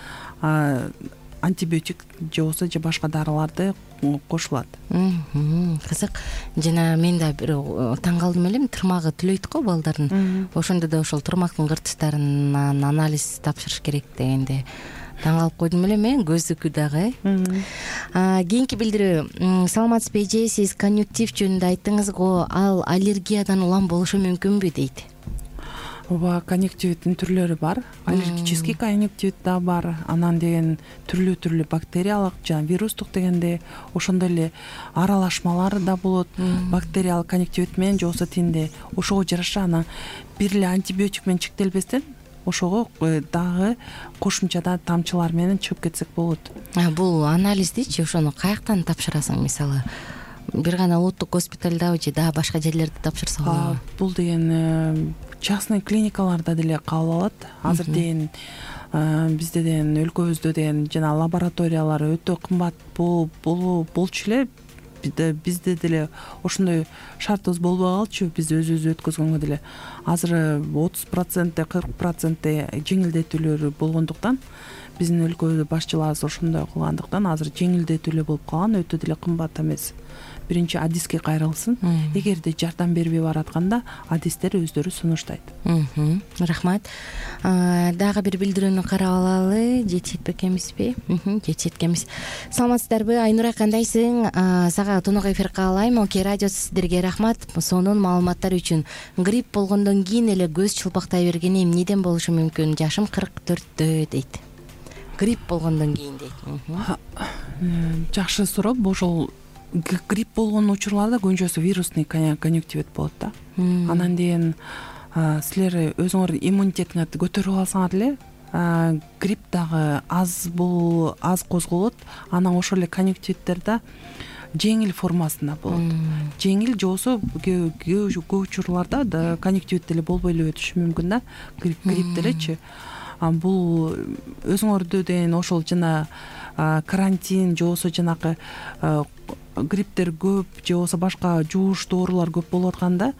антибиотик же болбосо же башка дарыларды кошулат. Кызык. Жана мен да бир таң калдым элем, тырмагы түлөйт го балдардын. Ошондо да ошол тырмактын кыртыштарынан анализ тапшырыш керек дегенде таң калып койдум элем, көздүкү дагы. Кийинки билдирүү. Саламатсызбы эже, сиз конъюнктив жөнүндө айттыңыз го, ал аллергиядан улам болушу мүмкүнбү дейт. Ооба, конъюнктивиттин түрлөрү бар. Аллергический конъюнктивит да бар. Анан деген түрлүү бактериялык жана вирустук дегенде ошондой эле аралашмалар да болот. Бактериялык конъюнктивит менен же болбосо тинде ошого жараша анан бир эле антибиотик менен чектелбестен ошого дагы кошумчада тамчылар менен чыгып кетсек болот. Бул анализдичи ошону каяктан тапшырасың, мисалы? Бир гана улуттук госпиталдабы же дагы башка жерлерде тапшырса болобу? Бул деген частный клиникаларда деле кабыл алат. Азыр деген бизде деген өлкөбүздө деген жана лабораториялар өтө кымбат болчу эле бизде деле ошондой шартыбыз болбой калчу. Биз өзүбүз өткөзгөнгө деле азыр 30%, 40% жеңилдетүүлөр болгондуктан биздин өлкөдө башчыларыбыз ошондой кылгандыктан азыр жеңилдетүүлөр болуп калган, өтө деле кымбат эмес. Биринчи адиске кайрылсын. Эгерде жардам бербей баратканда адистер өздөрү сунуштайт. Рахмат. Дагы бир билдирүүнү карап алалы. Жетишет экенбизби? Жетишет экенбиз. Саламатсыздарбы? Айнура, кандайсың? Сага тонок эфир каалайм. Оке радиосу сиздерге рахмат. Сонун маалыматтар үчүн. Грипп болгондон кийин эле көз чулпактай бергени эмнеден болушу мүмкүн? Жашым 44 дейт. Грипп болгондон кийин дейт. Жакшы суроо. Ошол грипп болгон учурларда көбүнчөсү вирусный конъюнктивит болот да. Анан кийин силер өзүңөр иммунитетиңерди көтөрүп алсаңар эле грипп дагы аз козголот. Анан ошол эле конъюнктивиттерде жеңил формасында болот. Жеңил же болбосо көп учурларда конъюнктивит деле болбой эле өтүшү мүмкүн да, грипп делечи. Бул өзүңөрдө деген ошол жана карантин же болбосо жанакы грипптер көп же болбосо башка жугуштуу оорулар көп болуп атканда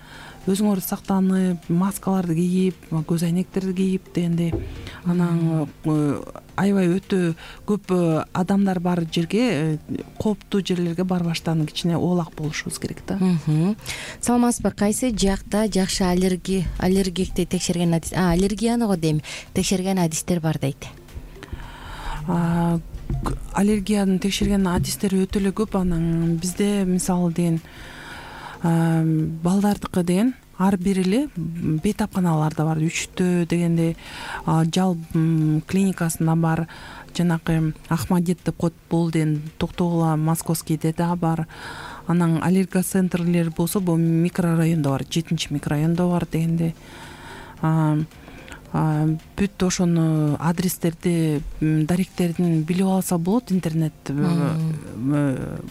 өзүңөр сактанып, маскаларды кийип, көз айнектерди кийип дегендей, анан аябай өтө көп адамдар бар жерге, кооптуу жерлерге барбаштан кичине оолак болушубуз керек да. Саламатсызбы? Кайсы жакта жакшы аллергикти текшерген аллергияны го дейм, текшерген адистер бар дейт? Аллергияны текшерген адистер өтө эле көп. Анан бизде мисалы деген балдардыкы деген ар бир эле бейтапканаларда бар. 3тө дегенде жал клиникасында бар, жанакы Ахмадет деп коет, бул деген Токтогула Московскийде да бар. Анан аллергоцентрлер болсо бул микрорайондо бар, 7-микрорайондо бар дегенде. Бүт ошону адрестерди, даректердин билип алса болот. Интернет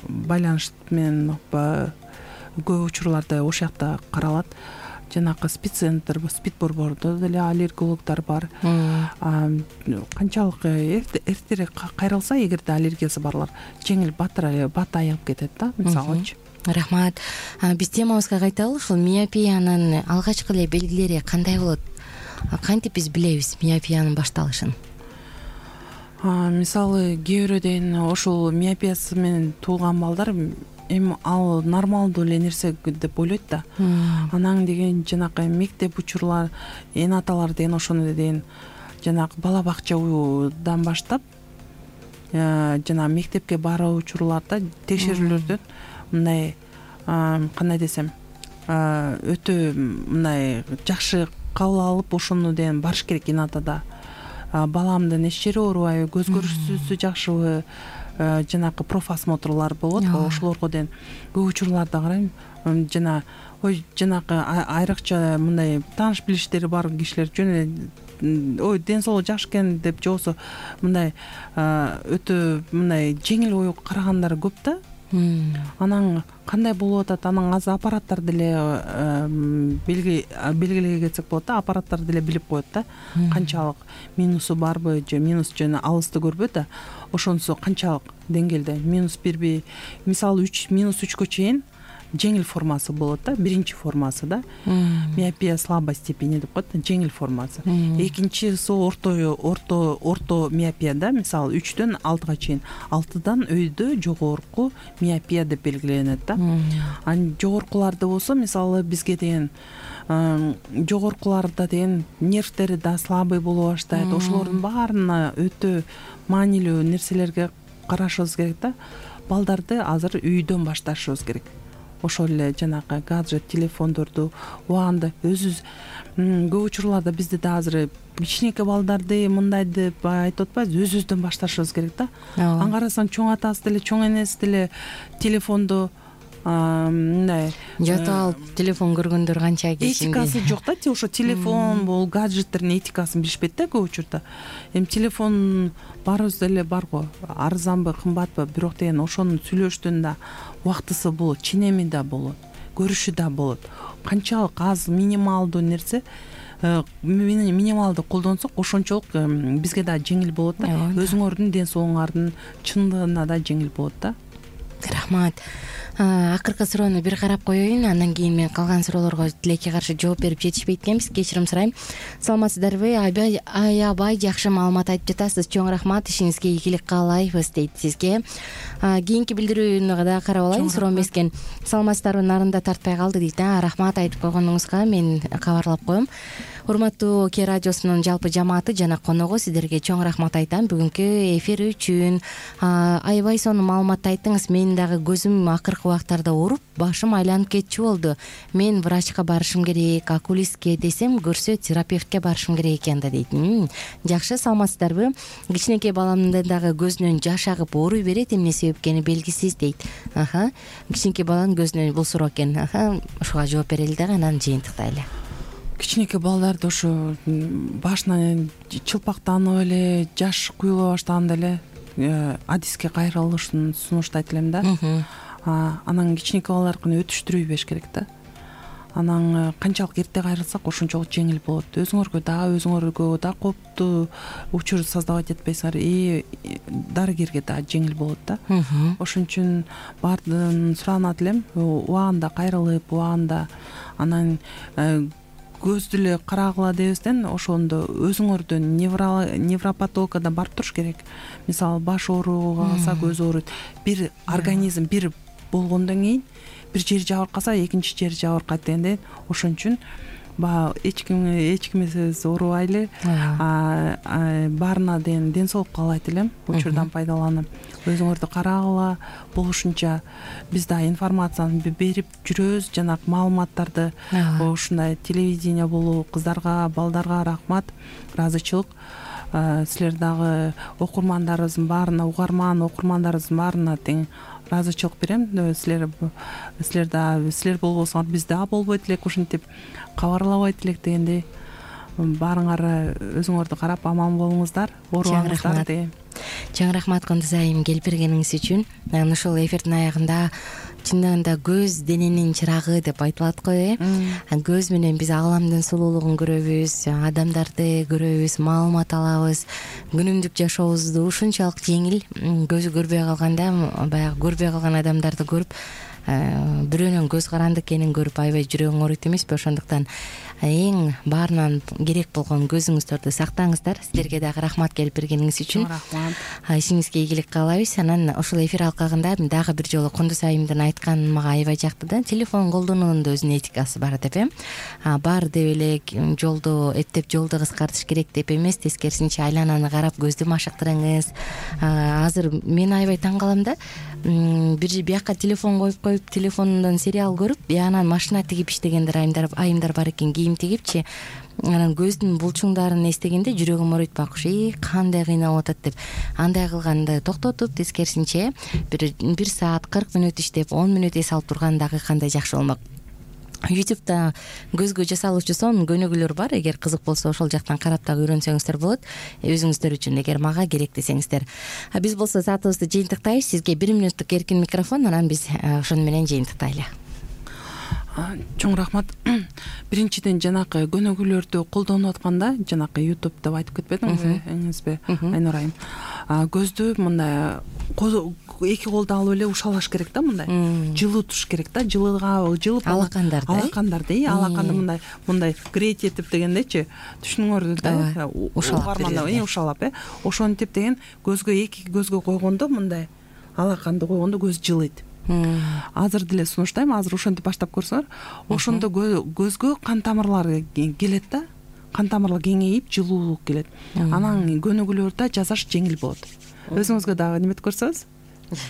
байланыш менен көп учурларда ошол жакта каралат. Жанакы спеццентр, спидборбордо деле аллергологдор бар. Канчалык эртерээк кайрылса, эгерде аллергиясы барлар жеңил бат айыгып кетет да, мисалычы. Рахмат. Биз темабызга кайталы. Ушул миопиянын алгачкы эле белгилери кандай болот? Кантип биз билебиз миопиянын башталышын? Мисалы кээ бирөө деген ошол миопиясы менен туулган балдар эми ал нормалдуу эле нерсе деп ойлойт да. Анан деген жанакы мектеп учурлар, эн аталар деген ошону деген жанакы бала бакчадан баштап жана мектепке баруу учурларда текшерүүлөрдөн мындай кандай десем өтө мындай жакшы кабыл алып ошону деген барыш керек. Эн атада баламдын эч жери оорубайбы, көз көрүүсү жакшыбы, жанакы профосмотрлар болот. Ошолорго деген көп учурларда карайм. Жана жанакы айрыкча мындай тааныш билиштери бар кишилер жөн эле ден соолугу жакшы экен деп же болбосо мындай өтө мындай жеңил ой карагандар көп да. Анан кандай болуп атат? Анан азыр аппараттар деле белгилеге кетсек болот да. Аппараттар деле билип коет да. Канчалык минусу барбы же минус жана алысты көрбөйт да. Ошонусу канчалык деңгээлде минус бирби, мисалы -3 чейин жеңил формасы болот да. Биринчи формасы да. Миопия слабой степени деп коет, жеңил формасы. Экинчиси орто миопия да, мисалы 3дөн 6га чейин. 6дан өйдө жогорку миопия деп белгиленет да. Анан жогоркуларды болсо, мисалы бизге деген жогоркуларда деген нервтери да слабый боло баштайт. Ошолордун баарына өтө маанилүү нерселерге карашыбыз керек да. Балдарды азыр үйдөн башташыбыз керек. Ошол эле жанакы гаджет, телефондорду убагында өзүбүз көп учурларда бизде да азыр кичинекей балдарды мындай деп айтып атпайбыз, өзүбүздөн башташыбыз керек да. Аны карасаң чоң атасы деле, чоң энеси деле телефондо мындай жатып алып телефон көргөндөр канча кечинде. Этикасы жок да, ошо телефон бул гаджеттердин этикасын билишпейт да көп учурда. Эми телефон баарыбыз деле бар го, арзанбы, кымбатпы, бирок деген ошонун сүйлөштөн да убактысы болот, ченеми да болот, көрүшү да болот. Канчалык аз минималдуу нерсе минималды колдонсок ошончолук бизге да жеңил болот да. Өзүңөрдүн ден соолугуңардын чындыгына да жеңил болот да. Рахмат. Акыркы суроону бир карап коеюн, андан кийин мен калган суроолорго тилекке каршы жооп берип жетишпейт экенбиз. Кечирим сурайм. Саламатсыздарбы? Аябай жакшы маалымат айтып жатасыз. Чоң рахмат, ишиңизге ийгилик каалайбыз дейт сизге. Кийинки билдирүүнү да карап алайын. Суроо эмескен. Саламатсыздарбы? Нарында тартпай калды дейт. Рахмат айтып койгонуңузга мен кабарлап коем. Урматтуу Ке радиосунун жалпы жамааты жана коногу, сиздерге чоң рахмат айтам бүгүнкү эфир үчүн. Аябай сонун маалымат айттыңыз. Мен дагы көзүм акыркы убактарда ооруп, башым айланып кетчү болду. Мен врачка барышым керек, окулистке десем көрсө терапевтке барышым керек экен да дейт. Жакшы, саламатсыздарбы? Кичинекей баламдын дагы көзүнөн жаш агып ооруй берет, эмне себепкени белгисиз дейт. Кичинекей баланын көзүнөн бул суроо экен. Ушуга жооп берели дагы, анан жыйынтыктайлы. Кичинекей балдарды ошо башынан чылпактанып эле, жаш куюла баштаганда эле адиске кайрылышын сунуштайт элем да. Анан кичинекей балдардыкын өтүштүрбөй бериш керек да. Анан канчалык эрте кайрылсак ошончолук жеңил болот. Өзүңөргө да кооптуу учур создавать этпейсиңер, дарыгерге да жеңил болот да. Ошон үчүн баардыгын суранат элем, убагында кайрылып, убагында анан көздү эле карагыла дебестен ошондо өзүңөрдөн невропатологко барып туруш керек. Мисалы баш ооруга калса, көз ооруйт. Бир организм бир болгондон кийин бир жери жабыркаса, экинчи жери жабыркайт дегендей. Ошон үчүн баягы эч кимсиз оорубайлы, баарына ден соолук каалайт элем. Учурдан пайдаланып өзүңөрдү карагыла, болушунча биз да информацияны берип жүрөбүз. Жанагы маалыматтарды ушундай телевидение болуу, кыздарга, балдарга рахмат, ыраазычылык. Силер дагы окурмандарыбыздын баарына, окурмандарыбыздын баарына тең ыраазычылык берем. Силер болбосоңор биз да болбойт элек, ушинтип кабарлабайт элек дегендей. Баарыңар өзүңөрдү карап аман болуңуздар, оорубаңыздар деген. Чоң рахмат Кондузайым келип бергениңиз үчүн. Ушул эфирдин аягында чындыгында көз дененин чырагы деп айтылат го, Көз менен биз ааламдын сулуулугун көрөбүз, адамдарды көрөбүз, маалымат алабыз. Күнүмдүк жашообузду ушунчалык жеңил. Көзү көрбөй калганда, баягы көрбөй калган адамдарды көрүп, бирөөнүн көз каранды экенин көрүп аябай жүрөгүң ооруйт эмеспи? Ошондуктан эң баарынан керек болгон көзүңүздөрдү сактаңыздар. Сиздерге дагы рахмат келип бергениңиз үчүн. Рахмат. Ишиңизге ийгилик каалайбыз. Анан ушул эфир алкагында дагы бир жолу Кондузайымдын айтканы мага аябай жакты да. Телефон колдонуунун да өзүнүн этикасы бар деп, Бар деп эле жолду эптеп жолду кыскартыш керек деп эмес, тескерисинче айлананы карап көздү машыктырыңыз. Азыр мен аябай таң калам да. Бир бияка телефон коюп, телефонунан сериал көрүп, анан машина тигип иштегендер айымдар бар экен, кийим тигипчи. Анан көздүн булчуңдарын эстегенде жүрөгүм ооруйт бакшы, кандай кыйнап атат деп. Андай кылганды токтотуп, тескерисинче бир саат 40 мүнөт иштеп, 10 мүнөт эс алып турган дагы кандай жакшы болмок. YouTube'да көзгө жасалуучу сонун көнүгүүлөр бар. Эгер кызык болсо ошол жактан карап дагы үйрөнсөңүздөр болот. Өзүңүздөр үчүн, эгер мага керек десеңиздер. Биз болсо саатыбызды жыйынтыктайбыз. Сизге 1 мүнөттүк эркин микрофон, анан биз ошону менен жыйынтыктайлы. Чоң рахмат. Биринчиден жанакы көнүгүүлөрдү колдонуп атканда, жанакы YouTube деп айтып кетпедиңизби, эңизби, Айнур айым? Көздү мындай эки колду алып эле ушалаш керек да, мындай. Жылуу туш керек да, жылып алакандарды мындай греть этип дегендейчи, түшүнүңөр да, ушалап, ошентип деген көзгө эки көзгө койгондо, мындай алаканды койгондо көз жылыйт. Азыр деле сунуштайм, азыр ошентип баштап көрсөңөр, ошондо көзгө кан тамырлары келет да, кан тамырлар кеңейип, жылуулук келет. Анан көнүгүүлөрдө жасаш жеңил болот. Өзүңүзгө дагы неметип көрсөңүз,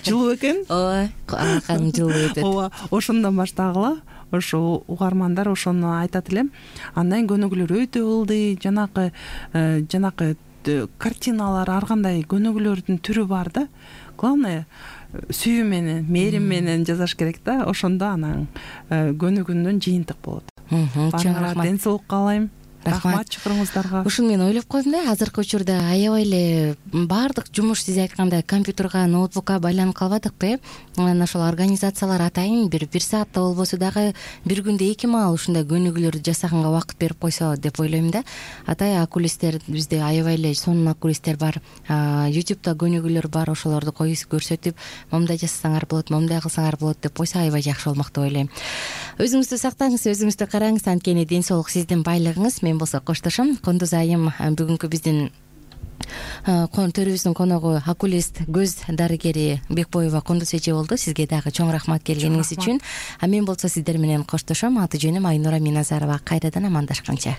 жылуу экен. Ооба, кан жылуу өтөт. Ооба, ошондон баштагыла. Ошо угармандар ошону айтат элем. Андан көнүгүүлөр өтө ылдый, жанакы картиналар, ар кандай көнүгүүлөрдүн түрү бар да. Главное сүйүү менен, мээрим менен жасаш керек да. Ошондо анан көнүгүүнүн жыйынтык болот. Чоң рахмат. Ден соолук каалайм. рахмат чакырууңуздарга. ушуну мен ойлоп койдум да, азыркы учурда аябай эле баардык жумуш сиз айткандай компьютерга, ноутбукка байланып калбадыкпы? Анан ошол организациялар атайын бир саатта болбосо дагы бир күндө 2 маал ушундай көнүгүүлөрдү жасаганга убакыт берип койсо деп ойлойм да. Атай окулисттер бизде аябай эле сонун окулисттер бар. YouTube'да көнүгүүлөр бар, ошолорду көрсөтүп, момундай жасасаңар болот, момундай кылсаңар болот деп койсо аябай жакшы болмок деп ойлойм. Өзүңүздү сактаңыз, өзүңүздү караңыз, анткени ден соолук сиздин байлыгыңыз. Мен болсо коштошом. Кондуз айым бүгүнкү биздин төрүбүздүн коногу окулист, көз дарыгери Бекбоева Кондуз эже болду. Сизге дагы чоң рахмат келгениңиз үчүн. Мен болсо сиздер менен коштошом. Аты жөнүм Айнура Миназарова. Кайрадан амандашканча.